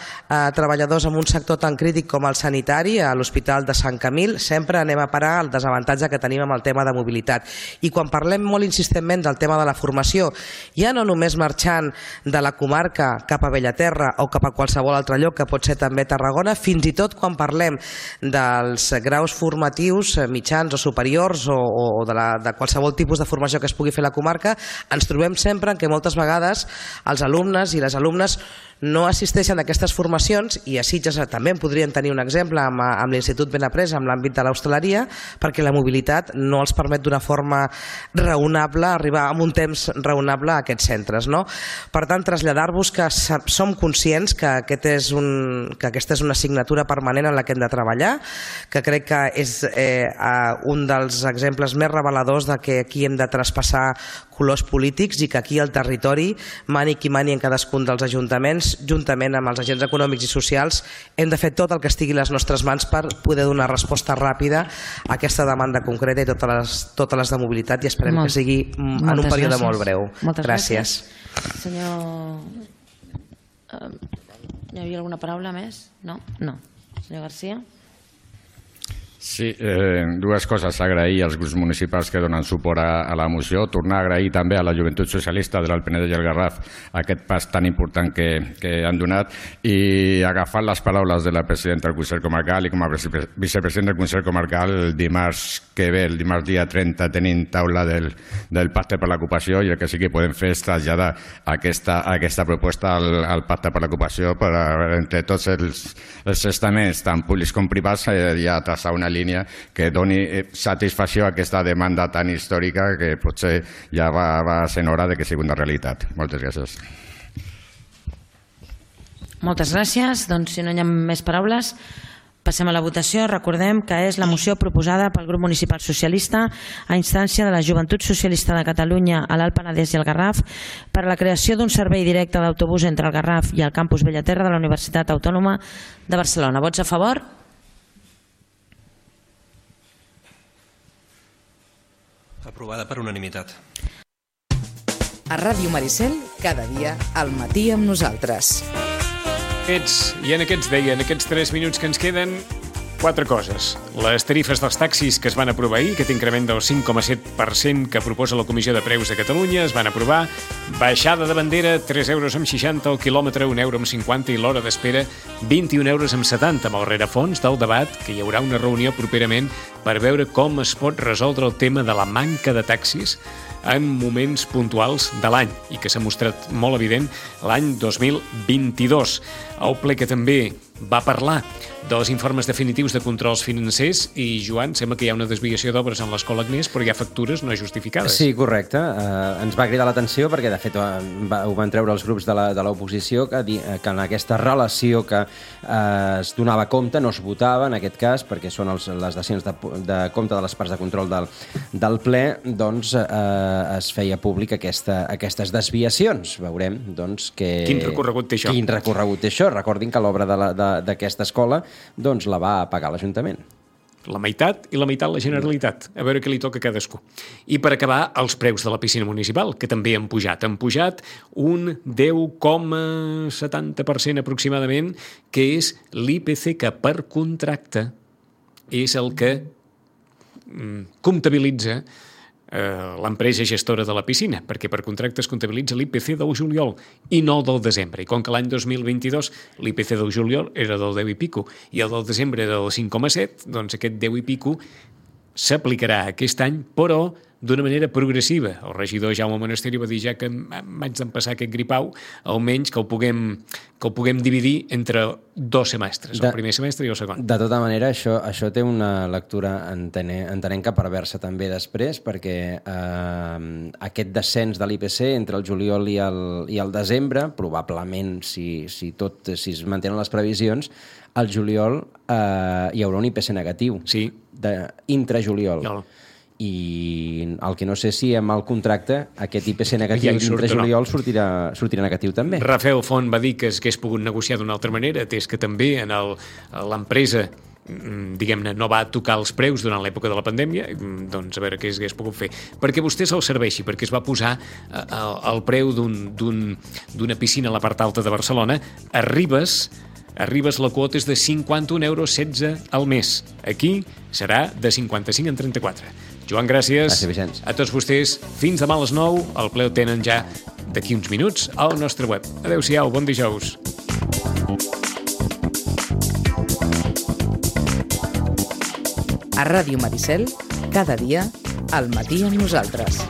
treballadors en un sector tan crític com el sanitari, a l'Hospital de Sant Camil, sempre anem a parar el desavantatge que tenim amb el tema de mobilitat. I quan parlem molt insistentment del tema de la formació, ja no només marxant de la comarca cap a Bellaterra o cap a qualsevol altre lloc, que pot ser també Tarragona, fins i tot quan parlem dels graus formatius mitjans o superiors o de qualsevol tipus de formació que es pugui fer a la comarca, ens trobem sempre que moltes vegades els alumnes i les alumnes no assisteixen a aquestes formacions, i a Sitges també en podrien tenir un exemple amb l'Institut Benapresa, amb l'àmbit de l'hostaleria, perquè la mobilitat no els permet d'una forma raonable arribar en un temps raonable a aquests centres. Per tant, traslladar-vos que som conscients que aquesta és una assignatura permanent en la que hem de treballar, que crec que és un dels exemples més reveladors de que aquí hem de traspassar colors polítics i que aquí al territori, mani qui mani en cadascun dels ajuntaments, juntament amb els agents econòmics i socials, hem de fer tot el que estigui a les nostres mans per poder donar resposta ràpida a aquesta demanda concreta i totes les de mobilitat, i esperem que sigui en un període molt breu. Gràcies. Senyor... Hi havia alguna paraula més? No? Senyor García? Sí, dues coses. Agrair als grups municipals que donen suport a la moció, tornar a agrair també a la Joventut Socialista de l'Alt Penedès i el Garraf aquest pas tan important que han donat, i agafar les paraules de la presidenta del Consell Comarcal i com a vicepresident del Consell Comarcal, el dimarts que ve, el dimarts dia 30, tenim taula del Pacte per l'Ocupació, i el que sí que podem fer és traslladar aquesta proposta al Pacte per l'Ocupació per entre tots els estaments, tant públics com privats, ja traçar una línia que doni satisfacció a aquesta demanda tan històrica que potser ja va sent hora de que sigui una realitat. Moltes gràcies. Moltes gràcies. Doncs si no hi ha més paraules, passem a la votació. Recordem que és la moció proposada pel grup municipal socialista a instància de la Joventut Socialista de Catalunya a l'Alt Penedès i el Garraf per a la creació d'un servei directe d'autobús entre el Garraf i el campus Bellaterra de la Universitat Autònoma de Barcelona. Vots a favor? Aprovada per unanimitat. A Ràdio Maricel, cada dia al matí amb nosaltres. I en aquests 3 minuts que ens queden, 4 coses. Les tarifes dels taxis que es van aprovar ahir, aquest increment del 5,7% que proposa la Comissió de Preus de Catalunya, es van aprovar. Baixada de bandera, 3,60 € el quilòmetre, 1,50 € i l'hora d'espera, 21,70 € amb el rerefons del debat, que hi haurà una reunió properament per veure com es pot resoldre el tema de la manca de taxis en moments puntuals de l'any i que s'ha mostrat molt evident l'any 2022. El ple que també va parlar dels informes definitius de controls financers i, Joan, sembla que hi ha una desviació d'obres en l'Escola Agnès, però hi ha factures no justificades. Sí, correcte. Ens va cridar l'atenció perquè, de fet, ho van treure els grups de l'oposició que en aquesta relació que es donava compte no es votava, en aquest cas, perquè són les dacions de compte de les parts de control del ple, doncs es feia públic aquestes desviacions. Veurem, doncs, que... Quin recorregut té això? Recordin que l'obra de d'aquesta escola doncs la va pagar l'Ajuntament. La meitat i la meitat la Generalitat. A veure què li toca a cadascú. I per acabar, els preus de la piscina municipal, que també han pujat. Han pujat un 10,70% aproximadament, que és l'IPC, que per contracte és el que comptabilitza l'empresa gestora de la piscina, perquè per contracte es comptabilitza l'IPC del juliol i no del desembre. I com que l'any 2022 l'IPC del juliol era del 10 i pico i el del desembre era del 5,7, doncs aquest 10 i pico s'aplicarà aquest any, però d'una manera progressiva. El regidor Jaume Monasterio va dir ja que m'haig d'empassar aquest gripau, almenys que el puguem dividir entre 2 semestres, el primer semestre i el segon. De tota manera, això té una lectura, entenem que perversa també després, perquè aquest descens de l'IPC entre el juliol i el desembre, probablement, si es mantenen les previsions, al juliol hi haurà un IPC negatiu, intrajuliol. I el que no sé si amb el contracte aquest IPC negatiu dintre juliol sortirà negatiu també. Rafael Font va dir que s'hagués pogut negociar d'una altra manera, atès que també en l'empresa diguem-ne, no va tocar els preus durant l'època de la pandèmia, doncs a veure què s'hagués pogut fer. Perquè vostè se'l serveixi, perquè es va posar el preu d'una piscina a la part alta de Barcelona. A Ribes la quota és de 51,16 € al mes. Aquí serà de 55 en 34. Joan, gràcies. Gràcies, Vicenç. A tots vostès, fins demà a les 9. El ple el tenen ja d'aquí uns minuts al nostre web. Adéu-siau, bon dijous. A Ràdio Maricel, cada dia, al matí amb nosaltres.